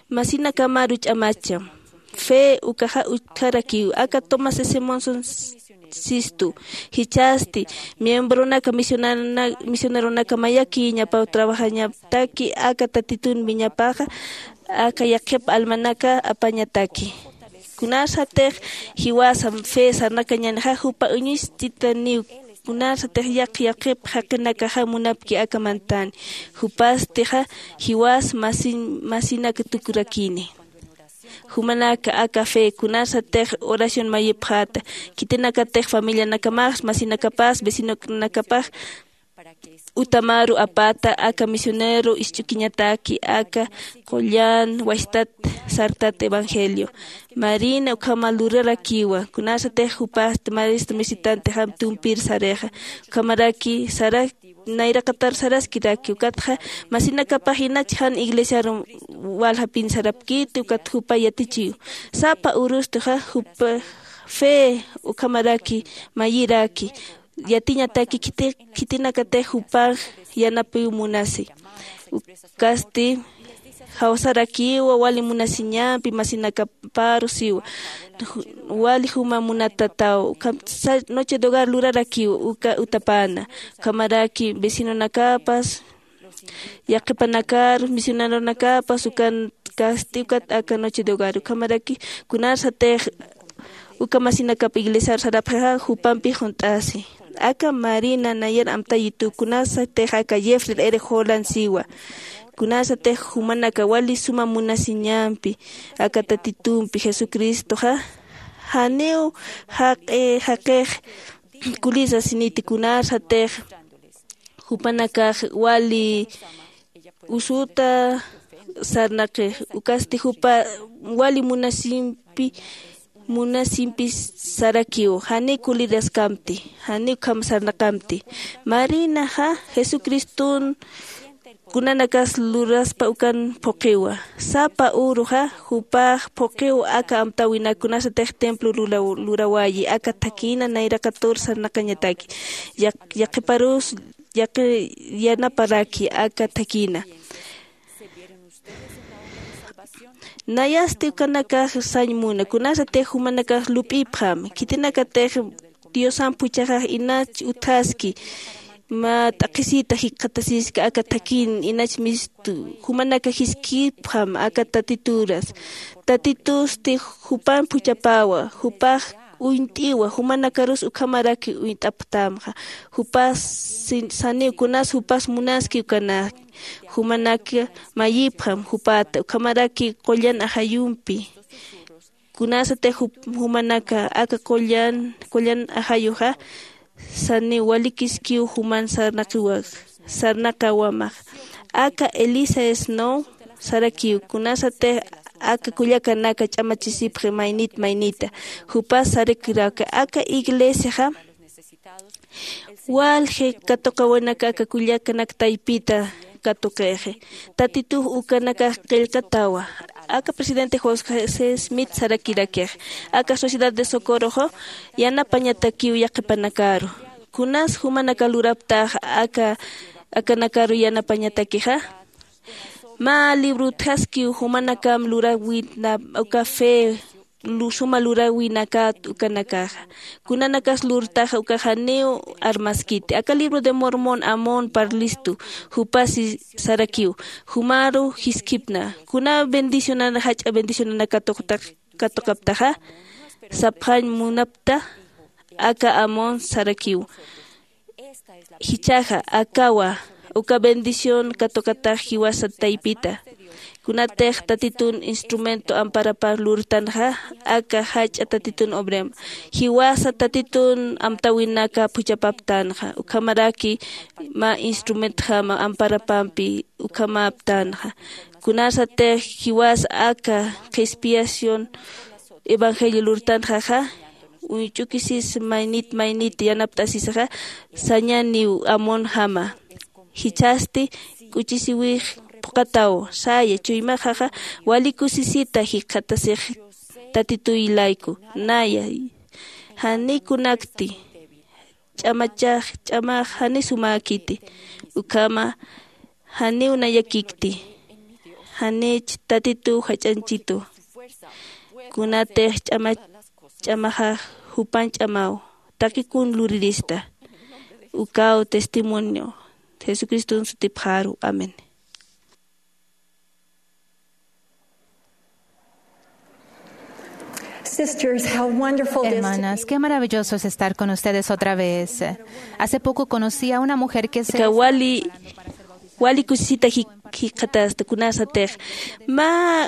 masinakamaru ch'amacham. Fe ukaxa utjarakiw aka tomás s monson sistu jichhasti miembronaka misioneronaka mayakïñapaw trabajañataki aka tatitun wiñapaxa aka yaqhip almanaka apañataki. Kunasatix jiwasa fe sarnaqañanixa jupa uñuchtitaniw kunasatix yaqh yaqhip jaqinakaxa munapki aka mantani. Jupastixa jiwas masinak tukurakini. Jumanaka aka fe kunasatix oración mayipxäta khitinakatix familianakamax masinakapas vecinonakapax utamaru apata aka misionero isch'ukiñataki aka qullan wachtat sartat evangelio. Marina ukhama lurarakiwa kunasatix jupasti maestro misitantixam tumpir sarixa. Ukhamaraki sara nayraqatar saraskiraki ukatxa masinakapax inach jan iglesiaru waljapin sarapkiti ukat jupa yatichiw. Sapa urustixa jupa fe ukhamaraki mayiraki yatiñataki khitinakatix jupax yanapiw munasi. Ukasti jawsarakiwa wali munasiñampi masinakaparu siwa. Wali juma munatataw ukham noche de hogar lurarakiw uka utapana. Ukhamaraki vecinonakapas yaqhipanakar misioneronakapas ukan kasti ukat aka noche de hogar ukhamaraki kunasatix uka masinakap iglesiar sarapxixa jupampix junt'asi. Aka marina nayar amtayitu kunasatix aka jefri ere jolan siwa. Kunasatix jumanaka wali suma munasiñampi aka tatitumpi jesucristoxa janiw jaqi jaqix kulisa siniti kunasatix jupanakax wali usuta sarnaqix ukasti jupa wali munasimpi munasimpi sarakiw janiw kuliraskamti janiw ukham sarnaqamti. Marinaxa jesucriston kunanakas luraspa ukan phuqiwa. Sapa uruxa jupax phuqiw aka amtäwinak kunasatix templo lurawayi aka thakïna nayraqatur sarnaqañataki. Yaqhiparus yanaparaki aka thakïna. Nayasti ukanakax sañ muna, kunasatix jumanakax lup'ipxam, khitinakatix Diosamp juchaxax inach utjaski, mä t'aqhisita jikxatasiski aka thakin, inach mistu, jumanaka jiskipxam aka Tatituras. Tatitusti jupamp juchapawa, jupax uñt'iwa, jumanakarus ukhamaraki uñt'apxtamxa. Jupas sin-, saniw kunas jupas munaski ukanaki. Jumanaka mayipxam jupata, ukhamaraki qullan ajayumpi. Kunasatix jup-, jumanaka aka qullan, qullan ajayuxa, saniw walikiskiw juman sarnaqiwa-, sarnaqawamax. Aka Elisa Snow sarakiw, kunasatix aka kullakanaka ch'amachisipxi maynit maynita. Jupas sarakiraki, aka iglesiaxa walji katuqawinaka aka kullakanak taypita katuqixi. Tatitux ukanakax qillqatawa. Aka presidente José Smith sarakirakix, aka Sociedad de Socorroxa yanapañatakiw yaqhipanakaru. Kunas jumanaka luraptax aka, akanakaru yanapañatakixa. Mä libro utjaskiw jumanakam luräwinap uka fe lu-, suma luräwinakat ukanakaxa. Kunanakas lurtaxa ukax janiw armaskiti. Aka libro de Mormón Amón parlistu, jupasi sarakiw, jumaru jiskipna. Kuna bendicionana, jach'a bendicionana katuqta-, katuqaptaxa, sapxañ munapta, aka Amón sarakiw. Jichhaxa, akawa, uka bendición katuqatax jiwasa taypita. Kunatix Tatitun instrumento amparapar lurtanxa, aka jach'a Tatitun obrem. Jiwasa Tatitun amtäwinaka phuchhapaptanxa, ukhamaraki mä instrumentjama amparapampi ukhamaptanxa. Kunasatix jiwas aka qhispiyación evangelio lurtanxaxa, uñch'ukisis maynit maynit yanapt'asisaxa, sañaniw Amonjama. Jichhasti k'uchisiwix phuqataw, saya, chuymaxaxa wali kusisita jikxatasix Tatituy layku, naya, janikunakti, ch'amachax, ch'amax jani sumäkiti, ukhama janiw nayakikti, janich Tatituw jach'añchitu. Kunatix ch'ama, ch'amaxax jupan ch'amaw, taqikun lurirista. Ukaw testimonio Jesucriston sutipxaru. Amén. Sisters, how wonderful it is to Hermanas, be qué maravilloso es estar con ustedes otra vez. Hace poco conocí a una mujer que se Aka wali, wali kusisita jik-, jikxatasta kunasatix. Mä,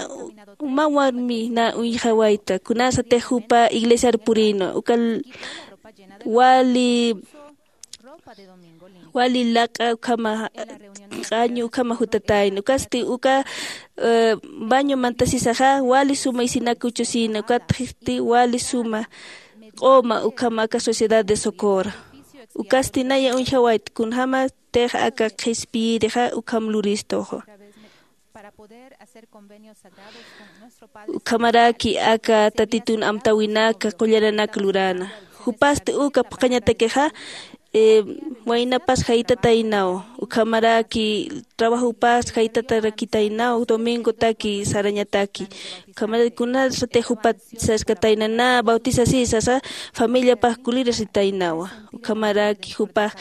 mä warmi na uñjawayta, kunasatix jupa iglesiar purïnwa, uka l-, wali wali laq'a ukhama, q'añu ukhama jutatayna. Ukasti uka, eh, baño mantasisaxa, wali suma isinakuchusïna. Ukatsti wali suma q'uma ukhama aka Sociedad de Socorro. Ukasti naya uñjawayt, kunjamatix aka qhispiyirixa ukham luristuxa. Ukhamaraki aka Tatitun amtäwinaka qullananak luräna. Jupasti uka phuqhañatakixa, eh, waynapas jaytataynaw. Ukhamaraki trabajopas jaytatarakitaynaw, domingotaki sarañataki. Ukhamaraki kunasatix jupat saskatayna, na bautizasï sasa, familiapax kulirasitaynawa. Ukhamaraki jupax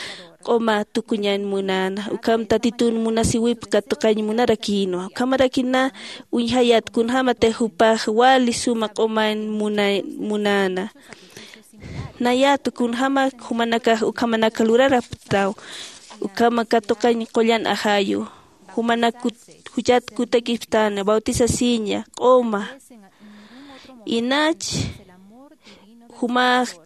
q'uma tukuñan munäna, ukham Tatitun munasiwip katuqañ munarakïnwa. Ukhamaraki na uñjayät kunjamatix jupax wali suma q'uman muna-, munäna. Nayät kunjama jumanakax ukhamanak luraraptaw, ukhama katuqañ qullan ajayu. Jumanak kut-, juchat kutakiptana, bautizasiña, q'uma. Inach jumax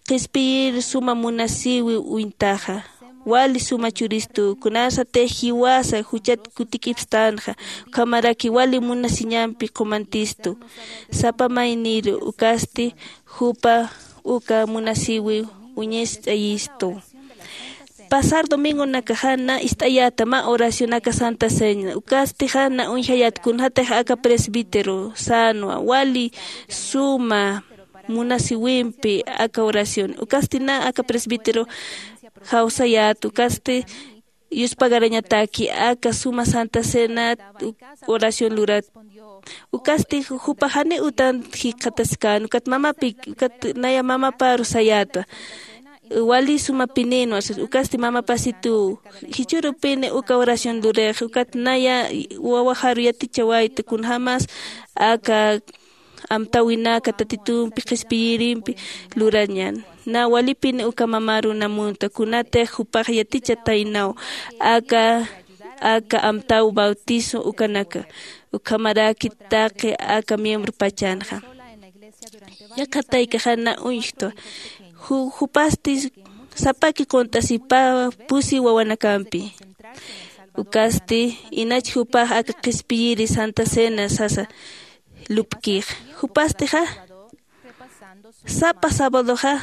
qhispiyir suma munasiwi uñtaxa, wali suma churistu, kunasatix jiwasa juchat kutikipstanxa, ukhamaraki wali munasiñampi qumantistu. Sapa mayniru ukasti jupa uka munasiwi uñist'ayistu. Pasar domingonakaxa na ist'ayäta mä oración aka Santa Cena, ukastixa na uñjayät kunjatix aka presbítero sänwa, wali suma munasiwimpi aka oración. Ukasti na aka presbítero jawsayät, ukasti yuspagarañataki aka suma Santa Cena oración lurat. Ukasti jupax jani utan jikxataskän ukat mamapi ukat naya mamaparu sayätwa. Wali sumapinïnwa sas ukasti mamapasituw jichhürupini uka oración lurix ukat naya wawaxaru yatichawayta kunjämas aka amtäwinaka tatitumpi qhispiyirimpi lurañän. Nä walipini uka mamaruna munta kunatix jupax yatichataynaw aka aka amtäw bautizo ukanaka ukhamaraki taqi aka miembrupachanxa. Yaqhataykaxa na uñjtwa jupasti sapaki qunt'asipa pusi wawanakampi. Ukasti inach jupax aka qhispiyiri santa cena sasa lupkix jupastixa sapa sabadoxa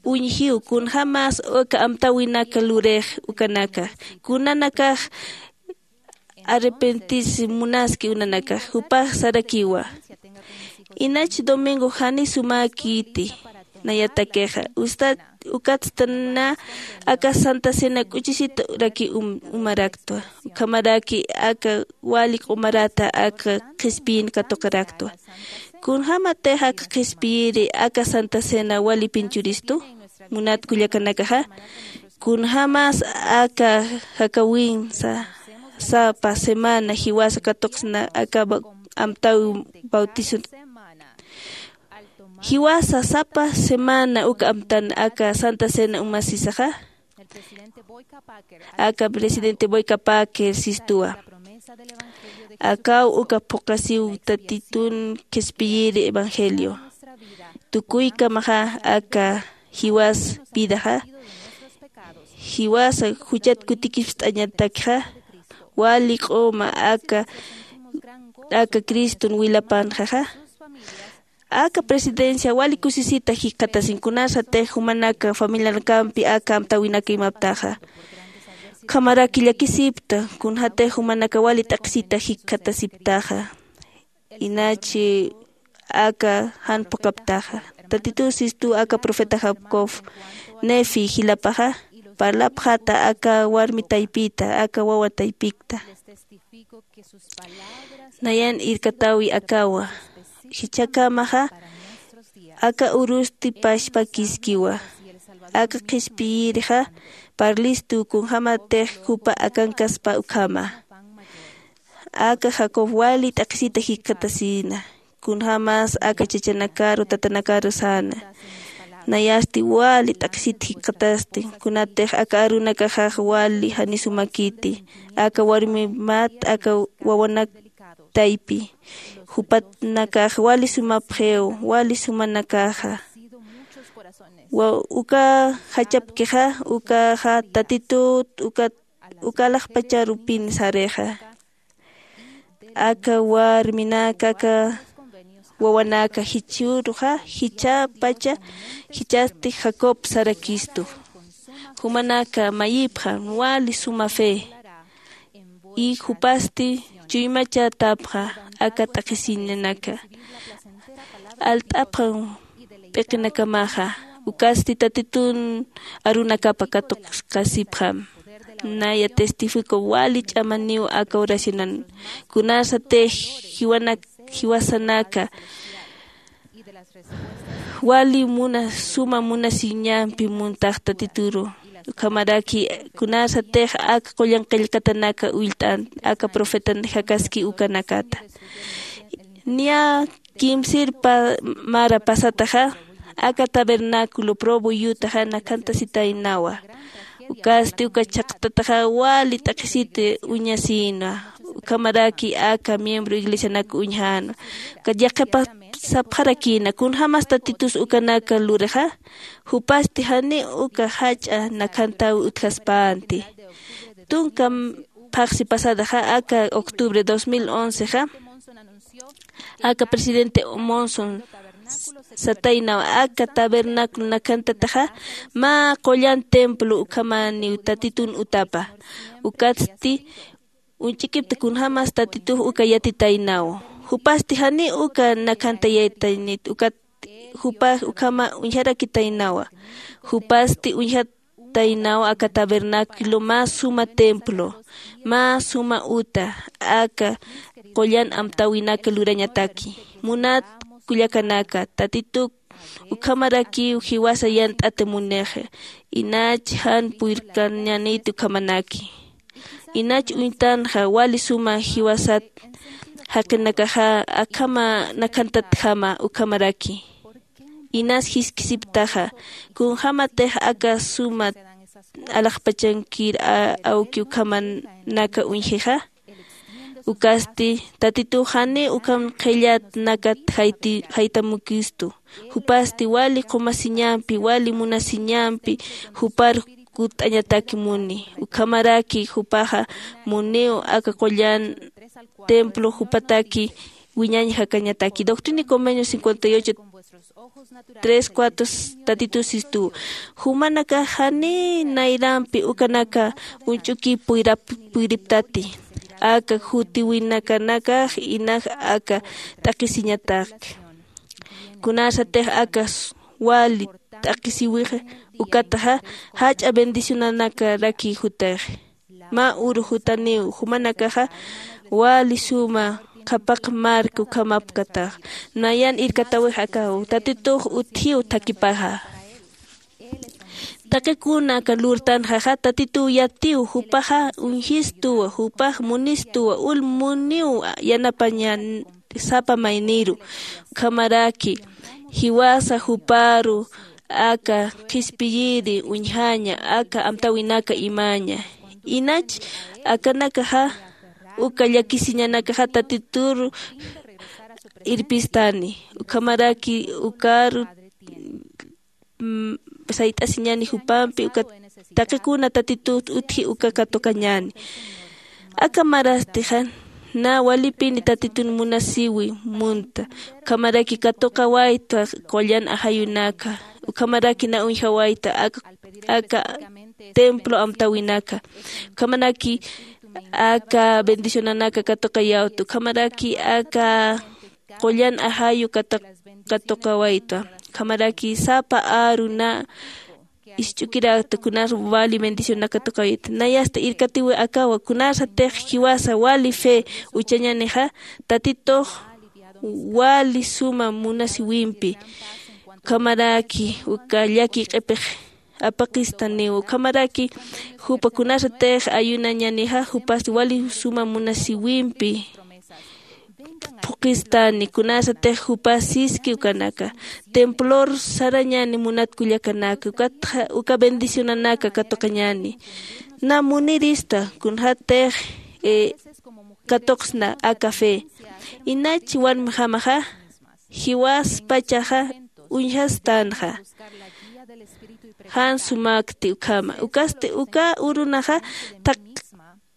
uñjiw kunjämas uka amtäwinaka lurix ukanaka kunanakax arrepentis munaski unanakax jupax sarakiwa. Inach domingo jani sumäkiti nayatakixa ustat ukatsta na aka santa cena k'uchisita uraki umaraktwa ukhamaraki aka wali q'umarata aka qhispiyïn katuqaraktwa. Kunjämatix aka qhispiyiri aka santa cena walipin churistu munat kullakanakaxa kunjämas aka jakawinsa sapa semana jiwasa katuqsna aka amtäwi bautizo jiwasa sapa semana uka amtan aka santa cena umasisaxa aka presidente boykapäkir sistuwa. Akaw uka phuqasiw tatitun qhispiyiri evangelio tukuykamaxa aka jiwas vidaxa jiwasa juchat kutikipst'añatakxa wali q'uma aka aka criston wilapanxaxa aka presidencia wali kusisita jikxatasin kunasatix jumanaka familianakampi aka amtäwinaka imaptaxa ukhamaraki llakisipta kunjatix jumanaka wali t'aqhisita jikxatasiptaxa. Inachi aka jan phuqhaptaxa tatituw sistuw aka profeta jacob nefi jilapaxa parlapxata aka warmi taypita aka wawa taypikta nayan irkatäwi akawa jichhakamaxa aka urusti pachpakiskiwa aka qhispiyirixa parlistu kunjämatix jupa akankaspa ukhama aka jacob wali t'aqhisita jikxatasïna kunjämas aka chachanakaru tatanakaru säna nayasti wali t'aqhisit jikxatasti kunatix aka arunakaxax wali jani sumakiti aka warmimat aka wawanak taypi jupatnakax wali sumapxiw wali sumanakaxa uka jachapkixa ukaxa tatitut uka uka alaxpacharupin sarixa aka warminaka aka wawanaka jichhüruxa jichhäpacha jichhasti jacob sarakistu jumanaka mayipxam wali suma fe y jupasti chuymachatäpxa aka t'aqhisiñanaka alt'apxam p'iqinakamaxa ukasti tatitun arunakapa katuqkasipxam naya testifico wali ch'amaniw aka oracionan kunasatix jiwasanaka wali muna suma munasiñampi muntax tatituru ukhamaraki kunasatix aka qullan qillqatanaka ullt'an aka profetan jakaski ukanakata niya kimsir mara pasataxa aka tabernáculo probo yutaxa nakhantasitaynawa ukasti uka chhaqtataxa wali t'aqhisit uñasïnwa ukhamaraki aka miembro iglesianak uñjänwa ukat yaqhipasapxarakïna kunjämas tatitus ukanaka lurixa jupasti janiw uka jach'a nakhantäwi utjaspänti tunka phaxsi pasadaxa aka octubre dos mil oncexa aka presidente monson sataynaw aka tabernáculo nakhantataxa mä qullan templo ukhamaniw tatitun utapa ukatsti uñch'ikipta kunjämas tatitux uka yatitaynaw jupasti janiw uka nakhantayaytaynit ukat jupax ukhama uñjarakitaynawa jupasti uñjat taynaw aka tabernáculo mä suma templo, mä suma uta aka qullan amtäwinaka lurañataki. Munat kullakanaka, Tatituk ukhamarakiw jiwasa yant'ata munixa, inach jan puyrkañäniti ukhamanaki. Inach uñtanxa wali suma jiwasat jaqinakaxa akhama nakhantatjama ukhamaraki. Inas jiskisiptaxa, kunjämatix aka suma alaxpachankir a-, awki ukhamanaka uñjixa. Ukasti, Tatitux janiw ukham qhillat nakat jayti-, jaytamukistu. Jupasti wali qumasiñampi, wali munasiñampi, jupar kutt'añataki muni. Ukhamaraki jupaxa muniw aka qullan templo jupataki wiñañ jakañataki. Doctrina y Convenios cincuenta y ocho, tres, cuatro, Tatitu sistu. Jumanakax janiy nayrampi ukanaka uñch'uki puyrap-, puyriptati. Aka jutiwinakanakax inax aka t'aqhisiñatak. Kunasatix aka s-, wali t'aqhisiwixa ukataxa, jach'a bendicionanakaraki jutix. Mä uru jutaniw, jumanakaxa wali suma qhapaq marka ukhamapkatax. Nayan irkatawix akaw, Tatitux utjiw thakipaxa. Taqi kuna aka lurtanxaxa, Tatituw yatiw, jupaxa uñjistuwa, jupax munistuwa, ul muniw yanapañan sapa mayniru. Ukhamaraki, jiwasa juparu aka qhispiyiri uñjaña, aka amtäwinaka imaña. Inach akanakaxa uka llakisiñanakaxa Tatituru irpistani. Ukhamaraki ukaru, mm, sayt'asiñani jupampi, uka taqikuna Tatitut utji uka katuqañani. Aka marastixa, na walipini Tatitun munasiwi munta. Ukhamaraki katuqawayta qullan ajayunaka. Ukhamaraki na uñjawayta aka, aka templo amtäwinaka. Ukhamaraki aka bendicionanaka katuqayawta. Ukhamaraki aka qullan ajayu katuq-, katuqawayta. Ukhamaraki sapa aru na isch'ukirakta, kunar wali bendicionaka katuqawayta. Nayasta irkatiwi akawa, kunasatix jiwasa wali fe uchañanixa, Tatitux wali suma munasiwimpi. Ukhamaraki uka llaki q'ipix apaqistaniw. Ukhamaraki jupa kunasatix ayunañanixa, jupas wali suma munasiwimpi phuqistani, kunasatix jupas siski ukanaka. Templor sarañani munat kullakanaka, ukatxa uka bendicionanaka katuqañani. Na munirista, kunxatix, eh, katuqsna aka fe. Inach warmjamaxa, jiwaspachaxa uñjastanxa. Jan sumakti ukhama. Ukasti uka urunaxa thaq-,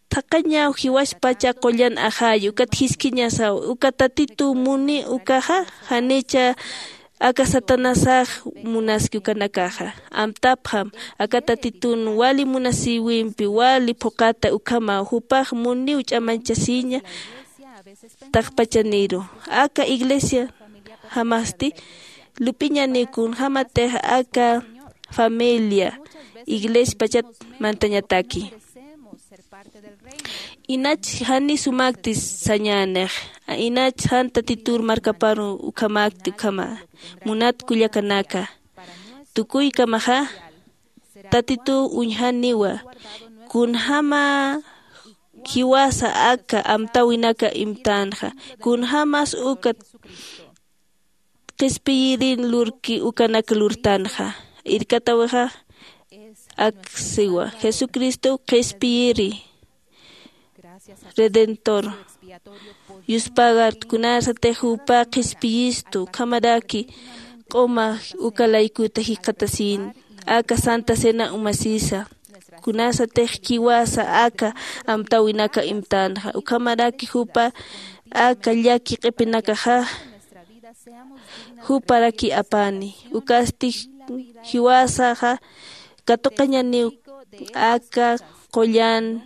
thaqañaw jiwaspacha qullan ajayu, ukat jiskiñasaw, uka Tatitu muni ukaxa, janicha aka Satanasax munaski ukanakaxa. Amtapxam, aka Tatitun wali munasiwimpi, wali phuqata ukhamaw, jupax muniw ch'amanchasiña, taqpachaniru. Aka iglesia jamasti, lup'iñani kunjämatix aka familia, iglesia pachat mantañataki. Inach jani sumakti sañänix, inach jan Tatitur markaparu ukhamakti ukhama, munat kullakanaka. Tukuykamaxa, Tatitu uñjaniwa, kunjäma jiwasa aka amtäwinaka imtänxa, kunjämas uka qhispiyirin lurki ukanak lurtanxa. Irkatawixa aksiwa, Jesucristo qhispiyiri, Redentor. Yuspagar kunasatix jupa qhispiyistu, ukhamaraki q'uma uka laykuta jikxatasin, aka Santa Cena umasisa. Kunasatix jiwasa aka amtäwinaka imtänxa, ukhamaraki jupa aka llaki q'ipinakaxa juparaki apani. Ukasti jiwasaxa katuqañaniw aka qullan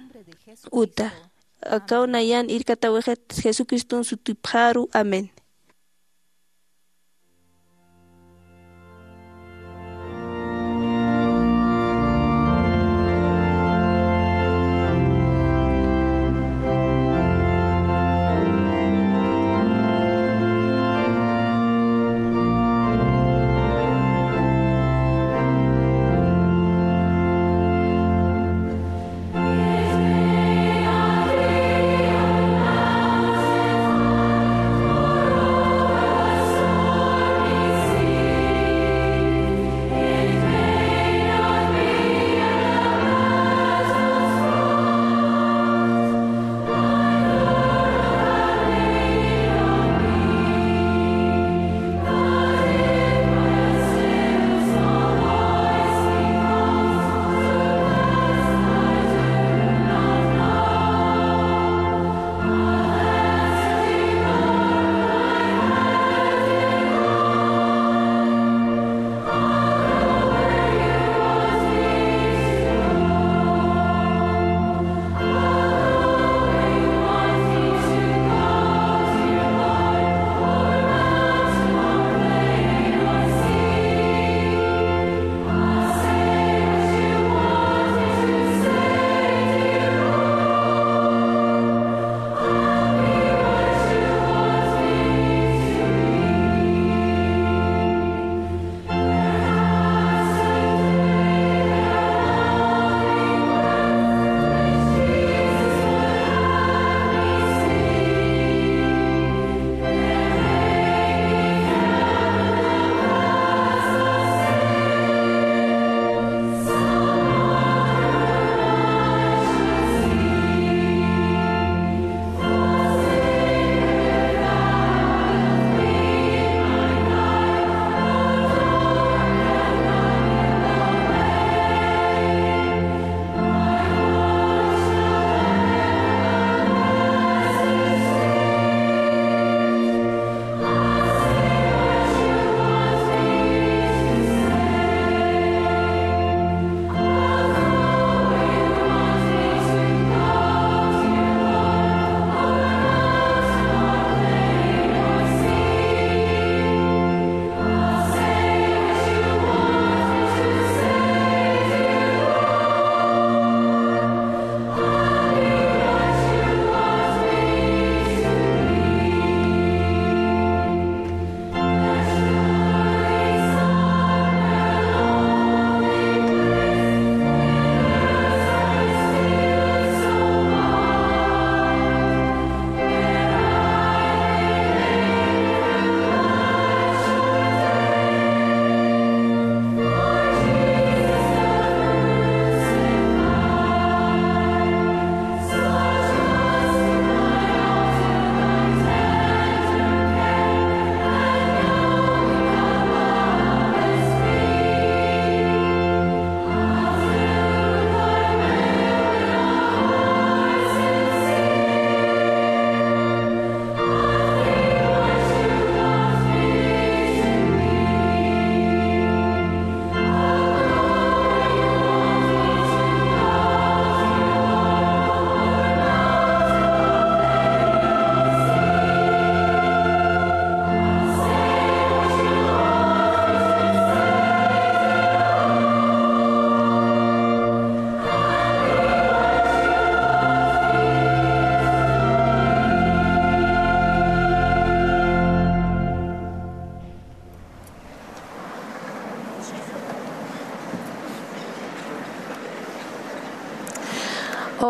uta. Akaw nayan irkatawixit Jesucristun sutipxaru. Amén.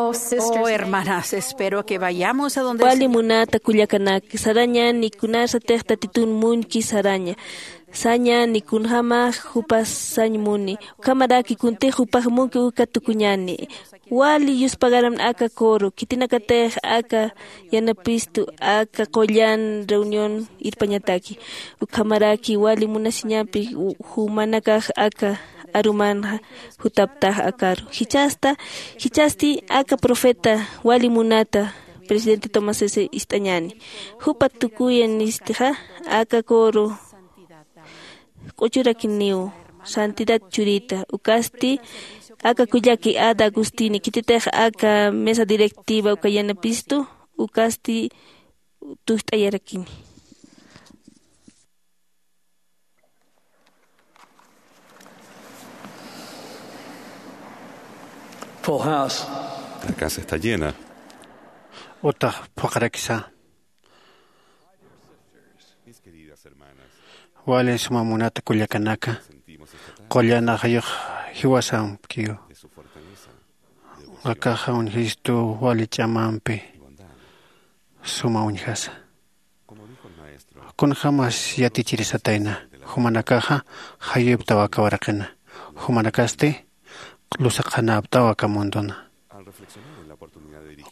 Oh, hermanas, espero que vayamos a donde el Señor. Wali munata kullakanak, sarañani kunasatix Tatitun muñki saraña. Sañani kunjämax jupas sañ muni. Ukhamaraki kuntix jupax muñki uka tukuñani. Wali yuspagaram aka coro, khitinakatix aka yanapistu, aka qullan reunión irpañataki. Ukhamaraki wali munasiñampi u-, jumanakax aka arumanxa jutaptax akaru. Jichhasta, jichhasti aka profeta wali munata presidente Tomás S. ist'añani. Jupa tukuyanistixa aka coro q'uchurakiniw santidad churita, ukasti aka kullaki Ada Agustini, khititix aka mesa directiva uka yanapistu, ukasti tust'ayarakini. Full house. La casa está llena. Utax phuqharakisa. Wali suma munata kullakanaka, qullan ajayux jiwasamkiw. Akaxa uñjistu wali ch'amampi suma uñjasa. Kunjämas yatichirisatayna, jumanakaxa jayuptaw aka waraqina, jumanakasti lusaqanaptaw aka mundona.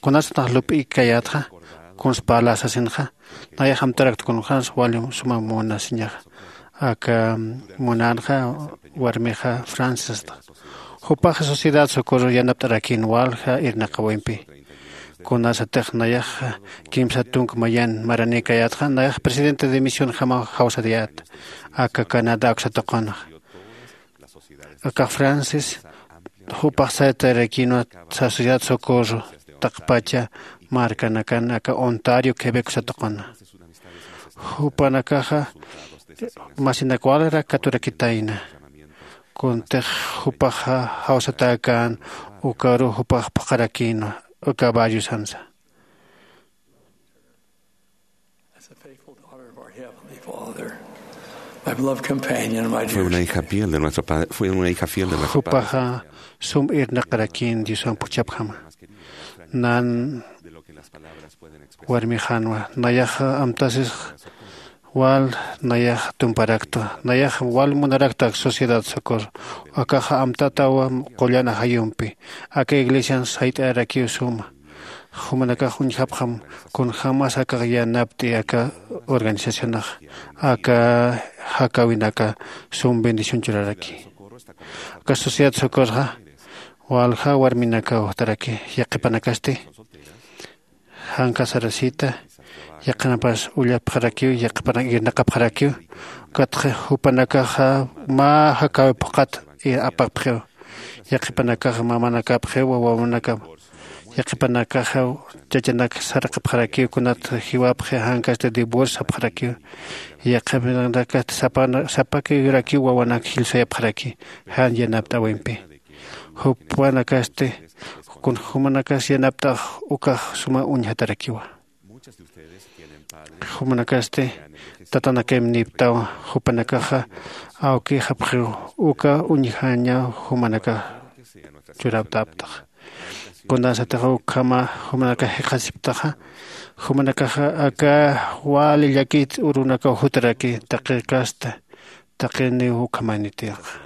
Kunasatix lup'ikayätxa, kuns parla sasinxa, nayax amtarakta kunjämas wali suma munasiñaxa. Aka munänxa warmixa Francis sasta. Jupaxa Sociedad Socorro yanapt'arakïn walja irnaqawimpi. Kunasatix nayaxa kimsa tunka mayan maranïkayätxa, nayax presidente de misionjamaw jawsayät aka Canadá uksa tuqinxa. Akax Francis, jupax saytarakïnwa Sociedad Socorro taqpacha markanakan aka Ontario, Quebec uksa tuqina. Jupanakaxa masinak walrak katurakitayna. Kuntix jupaxa jawsatäkän ukaru jupax phuqharakïnwa uka barriosansa. As a faithful daughter of our Heavenly Father, my beloved companion, my Fue dear una hija fiel de nuestro Padre, fue una hija fiel de nuestro Padre. Jupaxa sum irnaqarakïn Diosamp juchhapjama. Nan warmixanwa, nayaxa amtasis wal nayax tumparaktwa, nayax wal munarakta Sociedad Socorro, akaxa amtatawa qullan ajayumpi, aka iglesian sayt'arakiw suma. Jumanakax uñjapxam kunjämas akax yanapt'i aka organizacionax, aka jakäwinaka sum bendición churaraki. Aka Sociedad Socorroxa walja warminakaw jutaraki, yaqhipanakasti jan casarasita, yaqhanapas ullapxarakiw, yaqhipanak irnaqapxarakiw, ukatxa jupanakaxa mä jakäwi phuqhat apapxiw. Yaqhipanakaxa mamanakapxiw, wawanakap. Yaqhipanakaxa chachanak saraqapxarakiw, kunat jiwapxi jan casta divorcio sapxarakiw. Yaqhipanakasti sapana-, sapakirakiw wawanak jilsayapxaraki jan yanapt'äwimpi. Jupanakasti, kun jumanakas yanapt'ax ukax suma uñjatarakiwa. Jumanakasti tatanakimnïptaw, jupanakaxa awkixapxiw, uka uñjañaw jumanakax churapt'aptax. Kunasatix ukhama jumanakax jikxatasiptaxa, jumanakaxa aka wali llakit urunakaw jutaraki taqi casta, taqiniw ukhamanitixa.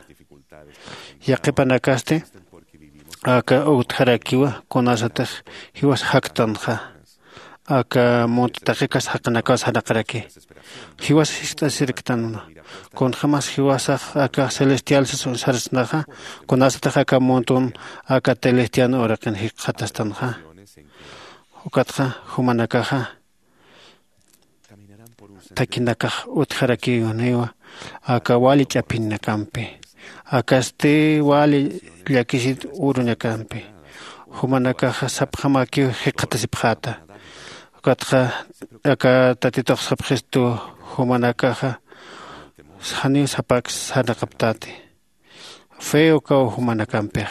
Yaqhipanakasti aka utjarakiwa, kunasatix jiwas jaktanxa. Aka munt taqi casta jaqinakaw sarnaqaraki. Jiwas jiskt'asirktanwa. Kunjämas jiwasax aka celestial sas-, sarsnaxa, kunasatix aka muntun aka celestial uraqin jikxatastanxa. Ukatxa jumanakaxa thakinakax utjarakiwaniwa aka wali ch'apinakampi, akasti wali llakisit urunakampi. Jumanakaxa sapxamakiw jikxatasipxäta. Ukatxa aka Tatitux sapxistu, jumanakaxa janiw sapak sarnaqaptati. Fe ukaw jumanakampix.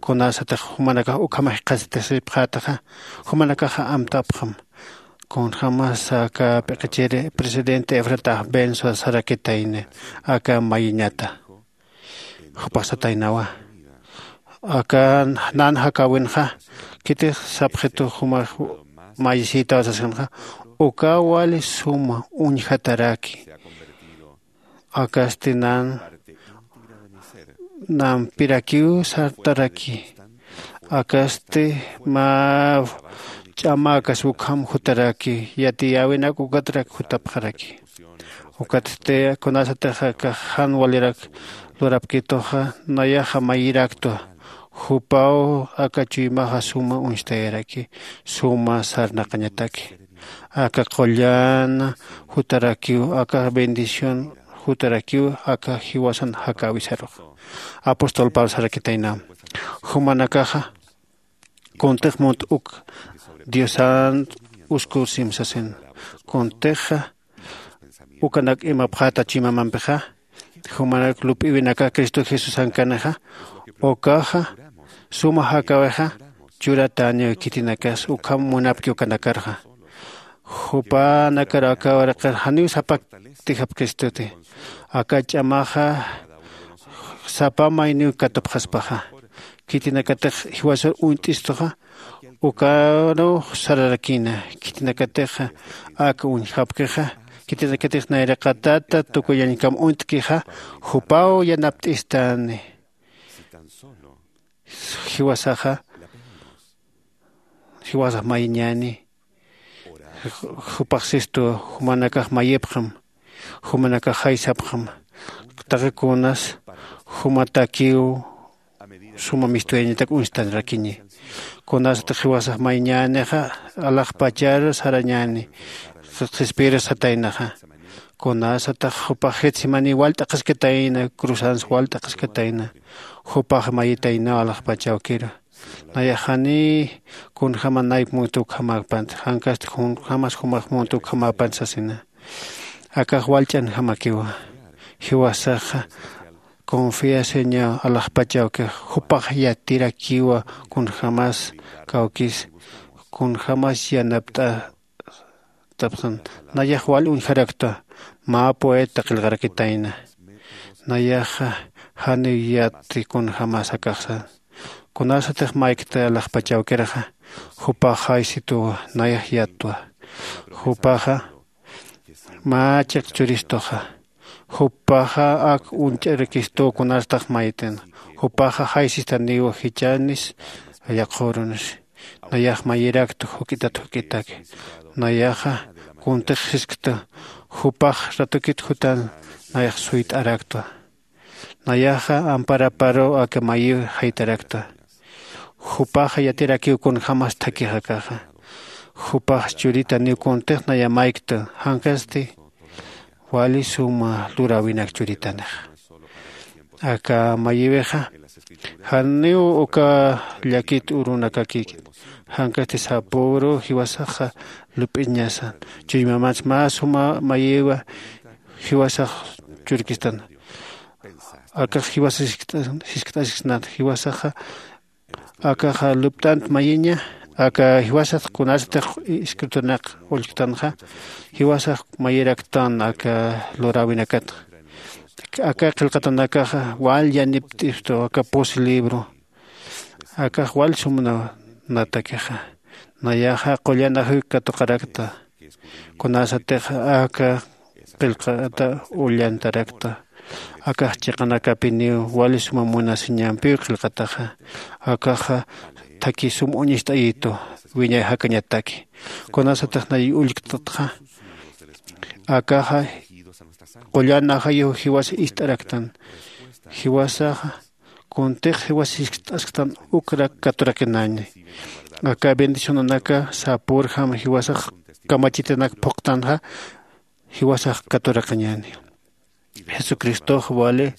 Kunasatix jumanakax ukhamax jikxatasipxätaxa, jumanakaxa amtapxam. Kunjämas aka p'iqichiri presidente Efrata Benzo sarakitayni aka mayiñata. Jupax sataynawa. Aka nan jakäwinxa Khitix sapxitu jumax mayisïtaw sasxanxa, ukaw wali suma uñjataraki. Akasti nan nampirakiw sartaraki. Akasti mä ch'amäkas ukham jutaraki, yatiyäwinak ukatrak jutapxaraki. Ukatsti kunasatix aka jan walirak lurapkituxa, nayaxa mayiraktwa. Jupaw aka chuymaxa suma uñstayaraki, suma sarnaqañataki. Aka qullan jutarakiw, aka bendición jutarakiw aka jiwasan jakäwisaruxa. Apóstol Pablo sarakitayna, jumanakaxa kuntix munt uk Diosan uskusim sasin. Kuntixa ukanak imapxäta chuymamampixa, jumanak lup'iwinaka Cristo Jesusankanixa, ukaxa suma jakäwixa churatäniw. Khitinakas ukham munapki ukanakarxa. Jupanakar aka waraqir janiw sapakti japkhistuti. Aka ch'amaxa sapa mayniw katupxaspaxa. Khitinakatix jiwasar uñt'istuxa, ukaruw sararakïna. Khitinakatix ak uñjapkixa, khitinakatix nayraqatata tukuyañkam uñt'kixa, jupaw yanapt'istani. Jiwasaxa jiwasax mayiñäni. Jupax sistu, jumanakax mayipxam, jumanakax jaysapxam. Taqi kunas jumatakiw suma mistuyañatak uñstanrakiñi. Kunasatix jiwasax mayiñänixa, alaxpachar sarañäni, qhispiyir sataynaxa. Kunasatix jupax Getsemani wal t'aqhaskatayna, cruzans wal t'aqhaskatayna, jupax mayitaynaw alaxpach awkiru. Nayax janiy kunjäma nayp munt ukhamäpant, jankasti kunjämas jumax munt ukhamäpant sasina. Akax wal ch'anjamakiwa. Jiwasaxa confiasiñaw alaxpach awkix, jupax yatirakiwa kunjämas kawkis, kunjämas yanapt'atapxan. Nayax wal uñjaraktwa, mä poeta qillqarakitayna. Nayaxa janiw yatti kunjämas akaxsa. Kunasatix maykta alaxpach awkirxa, jupax jaysituwa, nayax yattwa. Jupaxa mä chiq churistuxa. Jupaxa ak uñch'arakistu kunasatix mayt'in. Jupaxa jaysistaniwa jichhanis yaqhürunis. Nayax mayiraktwa juk'itat juk'itak. Nayaxa kuntix jisktwa, jupax ratukit jutan nayax suyt'araktwa. Nayaxa amparaparuw aka mayiw jaytaraktwa. Jupaxa yatirakiw kunjämas thakix akaxa. Jupax churitaniw kuntix naya mayktwa, jankasti wali suma luräwinak churitanixa. Aka mayiwixa janiw uka llakit urunakakïkit, jankasti sapüru jiwasaxa lup'iñasa. Chuymamans mä suma mayiwa jiwasax churkistan. Akax jiwasa jiskt'asiksnat, jiwasaxa akaxa lupt'ant mayiña. Aka jiwasax kunasatix escritunak ullktanxa, jiwasax mayiraktan aka luräwinakatxa. Aka qillqatanakaxa wal yanipt'istu aka pus libro. Akax wal sumnatakixa. Nayaxa qullan ajuyuk katuqarakta. Kunasatix aka qillqata ullantarakta. Akax chiqanakapiniw wali suma munasiñampiw qillqataxa. Akaxa thakhi sum uñist'ayitu, wiñay jakañataki. Kunasatix nay ullktatxa, akaxa qullan ajayuw jiwasa ist'araktan. Jiwasaxa kuntix jiwas jiskt'asktan ukrak katuraqinäni. Aka bendicionanaka sapürjam jiwasax kamachitanak phuqtanxa, jiwasax katuraqiñäni. Jesucristox wali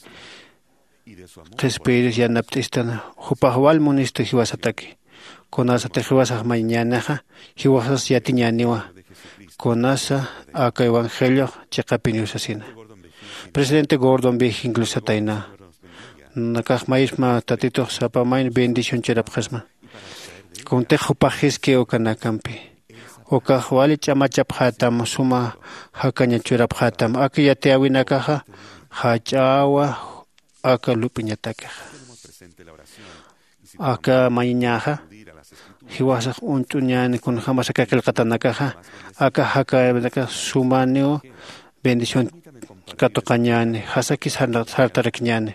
qhispiyiris yanapt'istan, jupax wal munistu jiwasataki. Kunasatix jiwasax mayiñänixa, jiwasas yatiñäniwa. Kunasa aka evangeliox chiqapiniw sasina. Presidente Gordon B. Hinckley satayna, nakax mayisma Tatitux sapa mayni bendición churapxasma. Kuntix jupax jiski ukanakampi. Ukax wali ch'amachapxätam, suma jakaña churapxätam. Aka yatiyäwinakaxa jach'awa aka lup'iñatakixa. Aka mayiñäxa jiwasax uñt'uñäni kunjämas aka qillqatanakaxa. Aka jakänakax sumaniw bendición katuqañäni. Jasaki sartarakiñäni.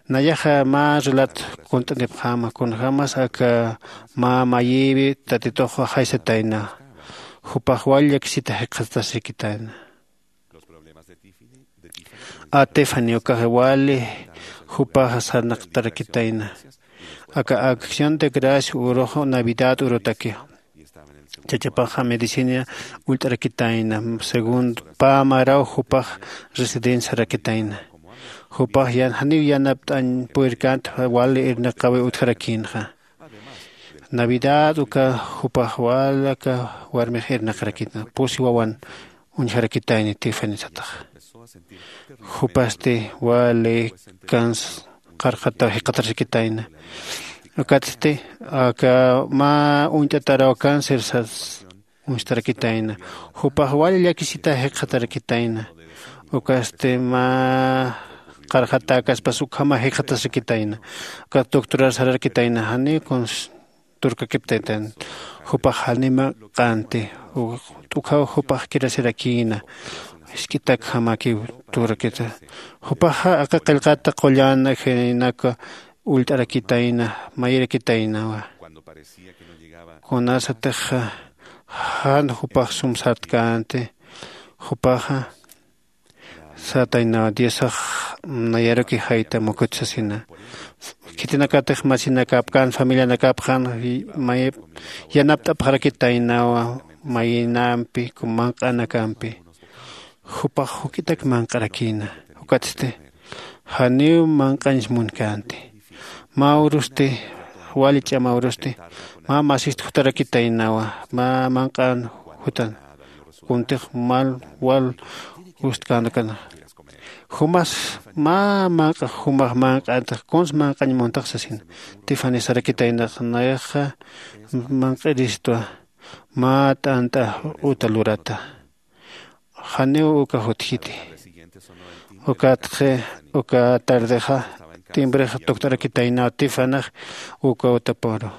Nayaxa mä relat kunt'anipxäma kunjämas aka mä mayïwi tatitux jaysatayna. Jupax wal llakisita jikxatasirkitayna. A tiffany ukax wali jupaxa sarnaqtarakitayna. Aka acción de gracia urux navidad urutaki chachapaxa medicina ullt'arakitayna. Segundo pä maraw jupax residencia sarakitayna. Jupax janiw yanapt'añ purirkänti wali irnaqawi utjarakïnxa. Navidad uka jupax wal aka warmix irnaqarakïna pusi wawan uñjarakitayni tiffany sataxa. Jupasti wali cáncer qarqataw jikxatarxakitayna. Ukatsti aka mä uñt'ataraw cáncer sas uñstarakitayna. Jupax wali llakisita jikxatarakitayna. Ukasti mä qarqatäkaspas ukhama jikxatasakitayna. Ukat doctorar sararakitayna janiw kuns turkakiptaytan. Jupax janima q'anti t'ukhaw jupax kirasirakïna. Jisk'itakjamakiw turakita. Jupaxa aka qillqata qullan ajinaka ullt'arakitayna mayirakitaynawa. Kunasatix jan jupax sum sartkänti jupaxa sataynawa diosax nayaruki jayta mukut sasina. Khitinakatix masinakapkän familianakapxan mayip yanapt'apxarakitaynawa mayinampi manq'anakampi. Jupax juk'itak manq'arakïna. Ukatsti janiw manq'añs munkänti. Mä urusti wali ch'ama urusti mä masist jutarakitaynawa mä manq'an jutan. Kuntix mal wal ustkänakana jumas mä manq'a jumax manq'antax kuns manq'añ muntax sasina. Tiffany sarakitaynax nayaxa manq'iristwa mä t'ant'a uta lurata. Janiw uka jutjiti. Ukatxi uka tardexa timbrex tukt'arakitaynaw tiffanyx uka utaparu.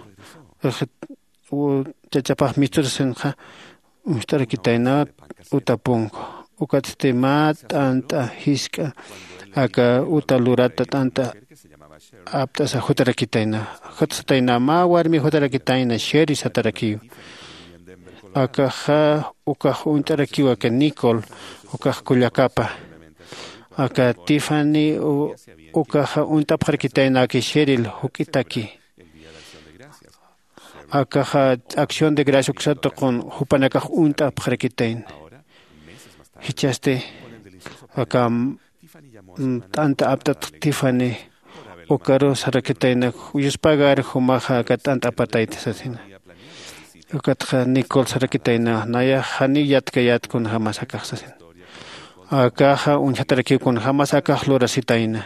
Chachapax misturasinxa uñst'arakitaynaw utapunku. Ukatsti mä t'ant'a jisk'a aka uta lurata t'ant'a apt'asa jutarakitayna. Jutsatayna mä warmi jutarakitayna sheri satarakiw. Akaxa ukax uñt'arakiw aka nicol ukax kullakapa. Aka tiffany ukaxa uñt'apxarakitayna aka sheril juk'itaki. Akaxa acción de gracia uksa tuqun jupanakax uñt'apxarakitayna. Jichhasti aka t'anta aptat tiffany ukaru sarakitayna. Yuspagar jumaxa aka t'anta apatayta sasina. Ukatxa nicol sarakitayna nayax janiw yatkayät kunjämas akax sasina. Akaxa uñjatarakiw kunjämas akax lurasitayna.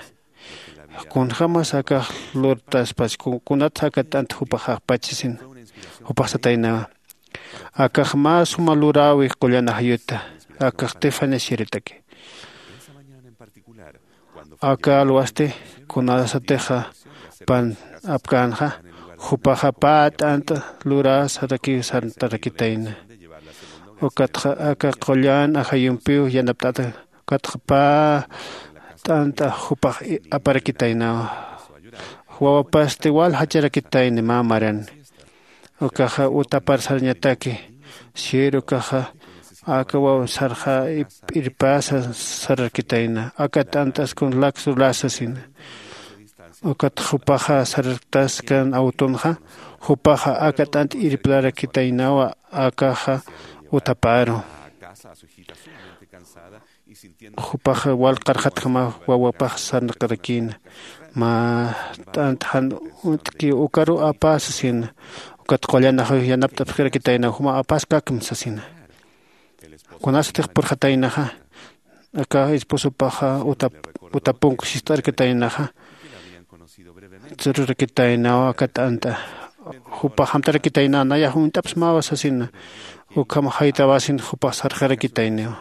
Kunjämas akax lurtaspas kunatsa aka t'ant jupax apach sasina. Jupax sataynawa akax mä suma luräwi qullan ajayuta. Akax tiffany shiritaki. Aka alwasti kunasatixa pan apkänxa jupaxa pä t'ant'a lurä sarakiw sartarakitayna. Ukatxa aka qullan ajayumpiw yanapt'ata. Ukatxa pä t'ant'a jupax aparakitaynawa. Wawapasti wal jacharakitayni mä maran. Ukaxa utapar sarañataki. Sir ukaxa aka waw sarxa p'irpäsa sararkitayna aka t'ant'askun lak lurä sasina. Ukat jupaxa sararktaskan awtunxa jupaxa aka t'ant irplarakitaynawa. Akaxa utaparu jupaxa wal qarxatjamaw wawapax sarnaqarakïna. Mä t'ant jan uñt'kiw ukaru apä sasina. Ukat qullanaxaw yanapt'apxirakitaynaw juma apäskakm sasina. Kunasatix purxataynaxa aka esposopaxa utapunk sist'arkataynaxa. Churarakitaynaw aka t'ant'a jupax amtarakitaynaw nayax uñt'apsmawa sasina. Ukham jaytawasin jupax sarxarakitayniw.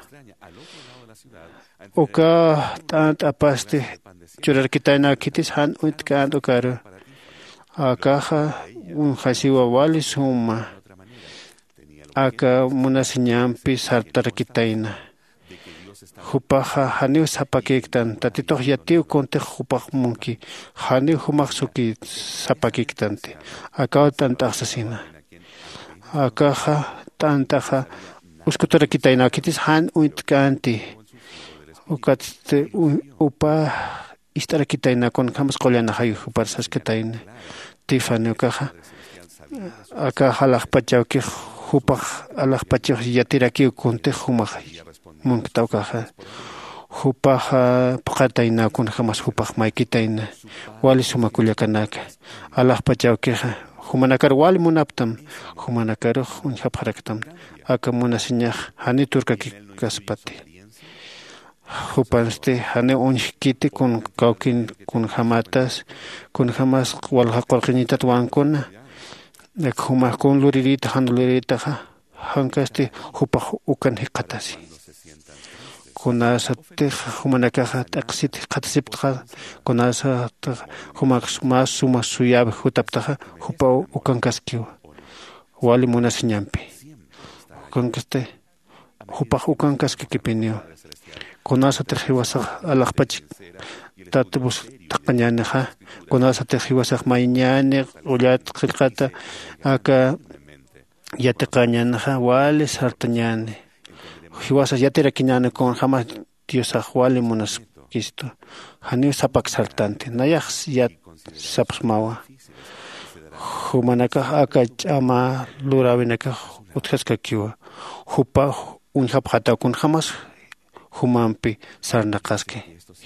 Uka t'ant'apasti churarkitaynaw khitis jan uñtk'ant ukaru. Akaxa uñjasiwa wali suma aka munasiñampi sartarakitayna. Jupaxa janiw sapakïktan tatitux yatiw kuntix jupax munki. Janiw jumax suki sapakïktanti. Akaw t'ant'axsasina. Akaxa t'ant'axa uskuturakitayna khitis jan uñt'k'anti. Ukatsti upa ist'arakitayna kunjämas qullanaxayu jupar saskatayna. Tifani ukaxa akax alaxpach awkix jupax alaxpachix yatirakiw kuntix jumax munkta ukaxa. Jupaxa phuqatayna kunjämas jupax maykitayna. Wali suma kullakanaka alaxpach awkixa jumanakar wali munaptam. Jumanakarux uñjapxaraktam. Aka munasiñax janiw turkakikaspati. Jupansti janiw uñjkiti kun kawkin kunjämatas kunjämas walja qurqiñitat wankuna. Jumax kun lurirïta jan lurirïtaxa jankasti jupax ukan jikxatasi. Kunasatix jumanakaxa t'aqsit jikxatasiptaxa kunasatix jumax mä suma suyäwi jutaptaxa jupaw ukankaskiwa. Wali munasiñampi ukankasti jupax ukankaskakipiniw. Kunasatix jiwasax alaxpach tatbus thaqañänixa kunasatix jiwasax mayñäni q'ullat qillqata aka yatiqañänixa wali sartañäni. Jiwasax yatirakiñäni kunjämas diosax wali munaskistu. Janiw sapak sartanti nayax yat sapxsmawa. Jumanakax aka ch'ama luräwinakax utjaskakiwa. Jupax uñjapxataw kunjämas jumampi sarnaqaski.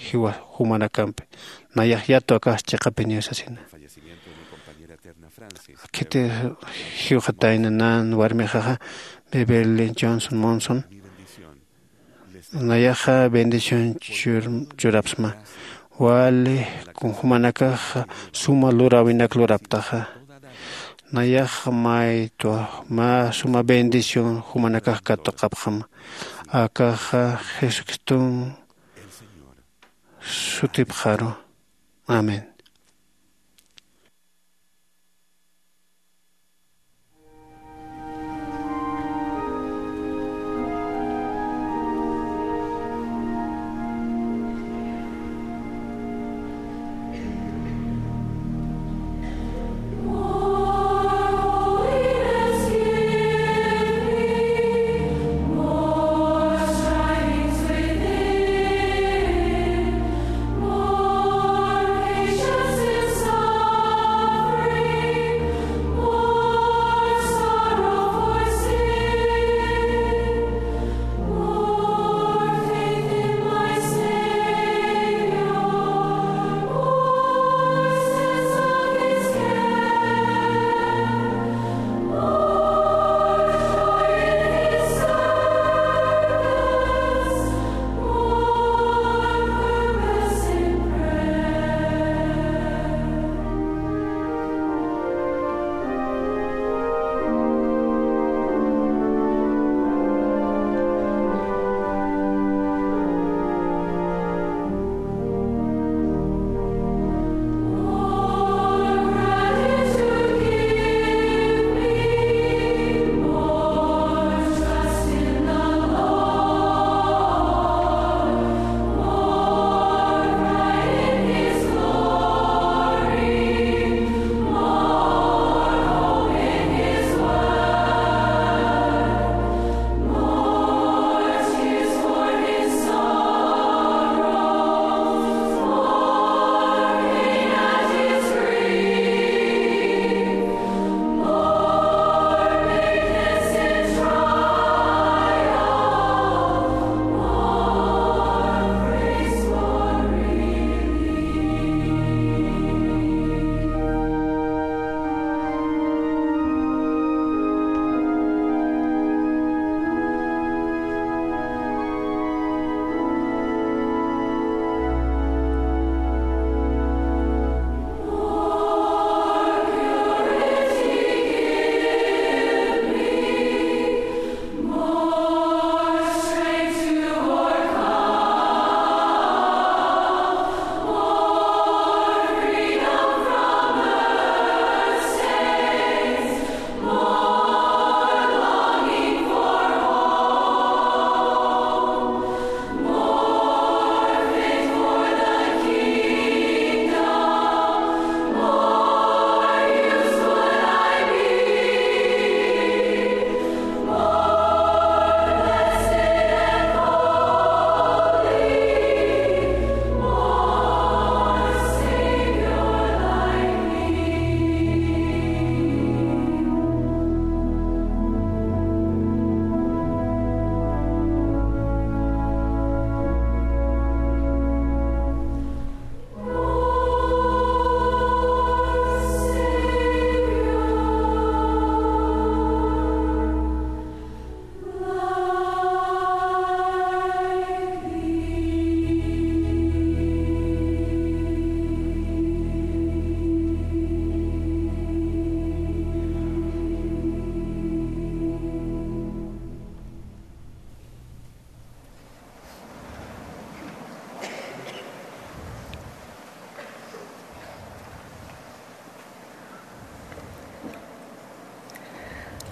Jiwa jumanakampi nayax yatwa akax chiqapiniw sasina. Khiti jiwxatayna nan warmixaxa beverly johnson monson. Nayaxa bendición churapsma wali jumanakaxa suma luräwinak luraptaxa. Nayaxa maytwa mä suma bendición jumanakax katuqapxama. Akaxa jesucriston sutipxaru. Amén.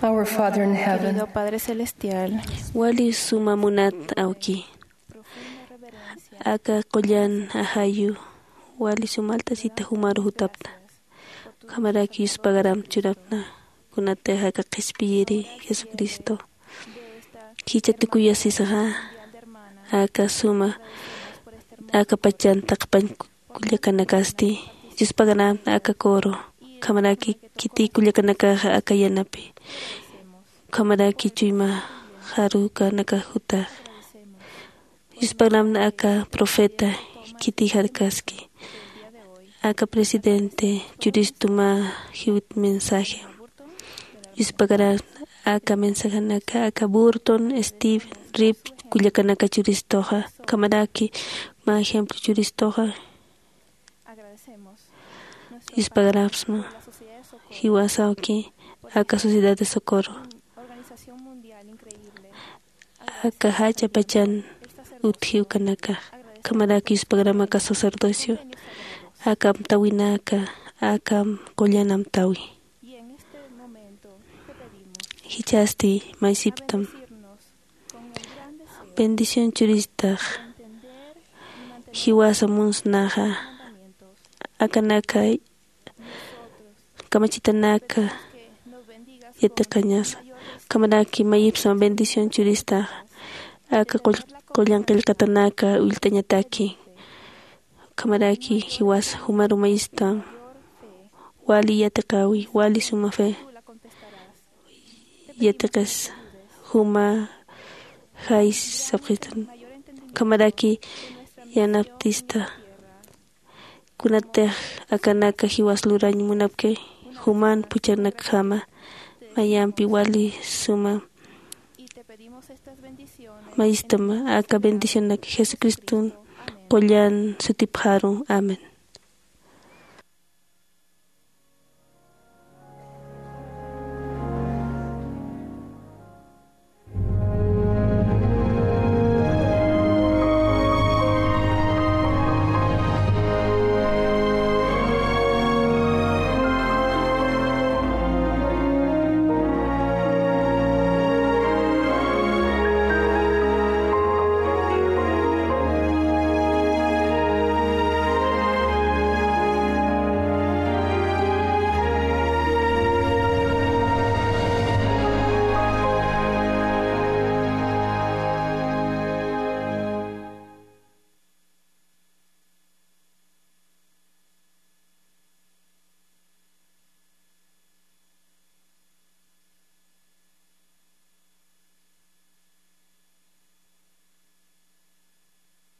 Our Father in heaven. Querido Padre Celestial, wali suma munat awki, aka qullan ajayu wali suma alt'asita jumaru jutapta. Ukhamaraki yuspagaram churapna, kunatix aka qhispiyiri Jesucristo jichha tukuyasisaxa aka suma, aka pachan taqpañ kullakanakasti. Yuspagaram aka coro, ukhamaraki khitiy kullakanakaxa aka yanapi, ukhamaraki chuyma jarukanakax jutax. Yuspagaram aka profeta khitiy jarkaski, aka presidente churistuma jiwit mensaje. Yuspagaram aka mensajenaka aka Burton, Steve, Rip kullakanaka churistuxa, ukhamaraki mä ejemplo churistuxa. Yuspagarapsma jiwasawki aka Sociedad de Socorro, aka jach'a pachan utji ukanakax. Ukhamaraki yuspagarapxam aka sacerdocio, aka amtawinaka, aka qullan amtawi. Jichhasti maysiptam bendición churistax jiwasa munsnaxa, akanaka kamachitanaka yatiqañasa. Ukhamaraki mayipsma bendición churistaxa, aka qull-, qullan qillqatanaka ullt'añataki. Ukhamaraki jiwasa jumaru mayistam wali yatiqäwi, wali suma fe yatiqis, juma jay sapxistan. Ukhamaraki yanaptista, kunatix akanaka jiwas lurañ munapki, juman phuchhanakjama, mayampi wali suma mayistama. Aka bendicionak Jesucriston qullan sutipxaru. Amén.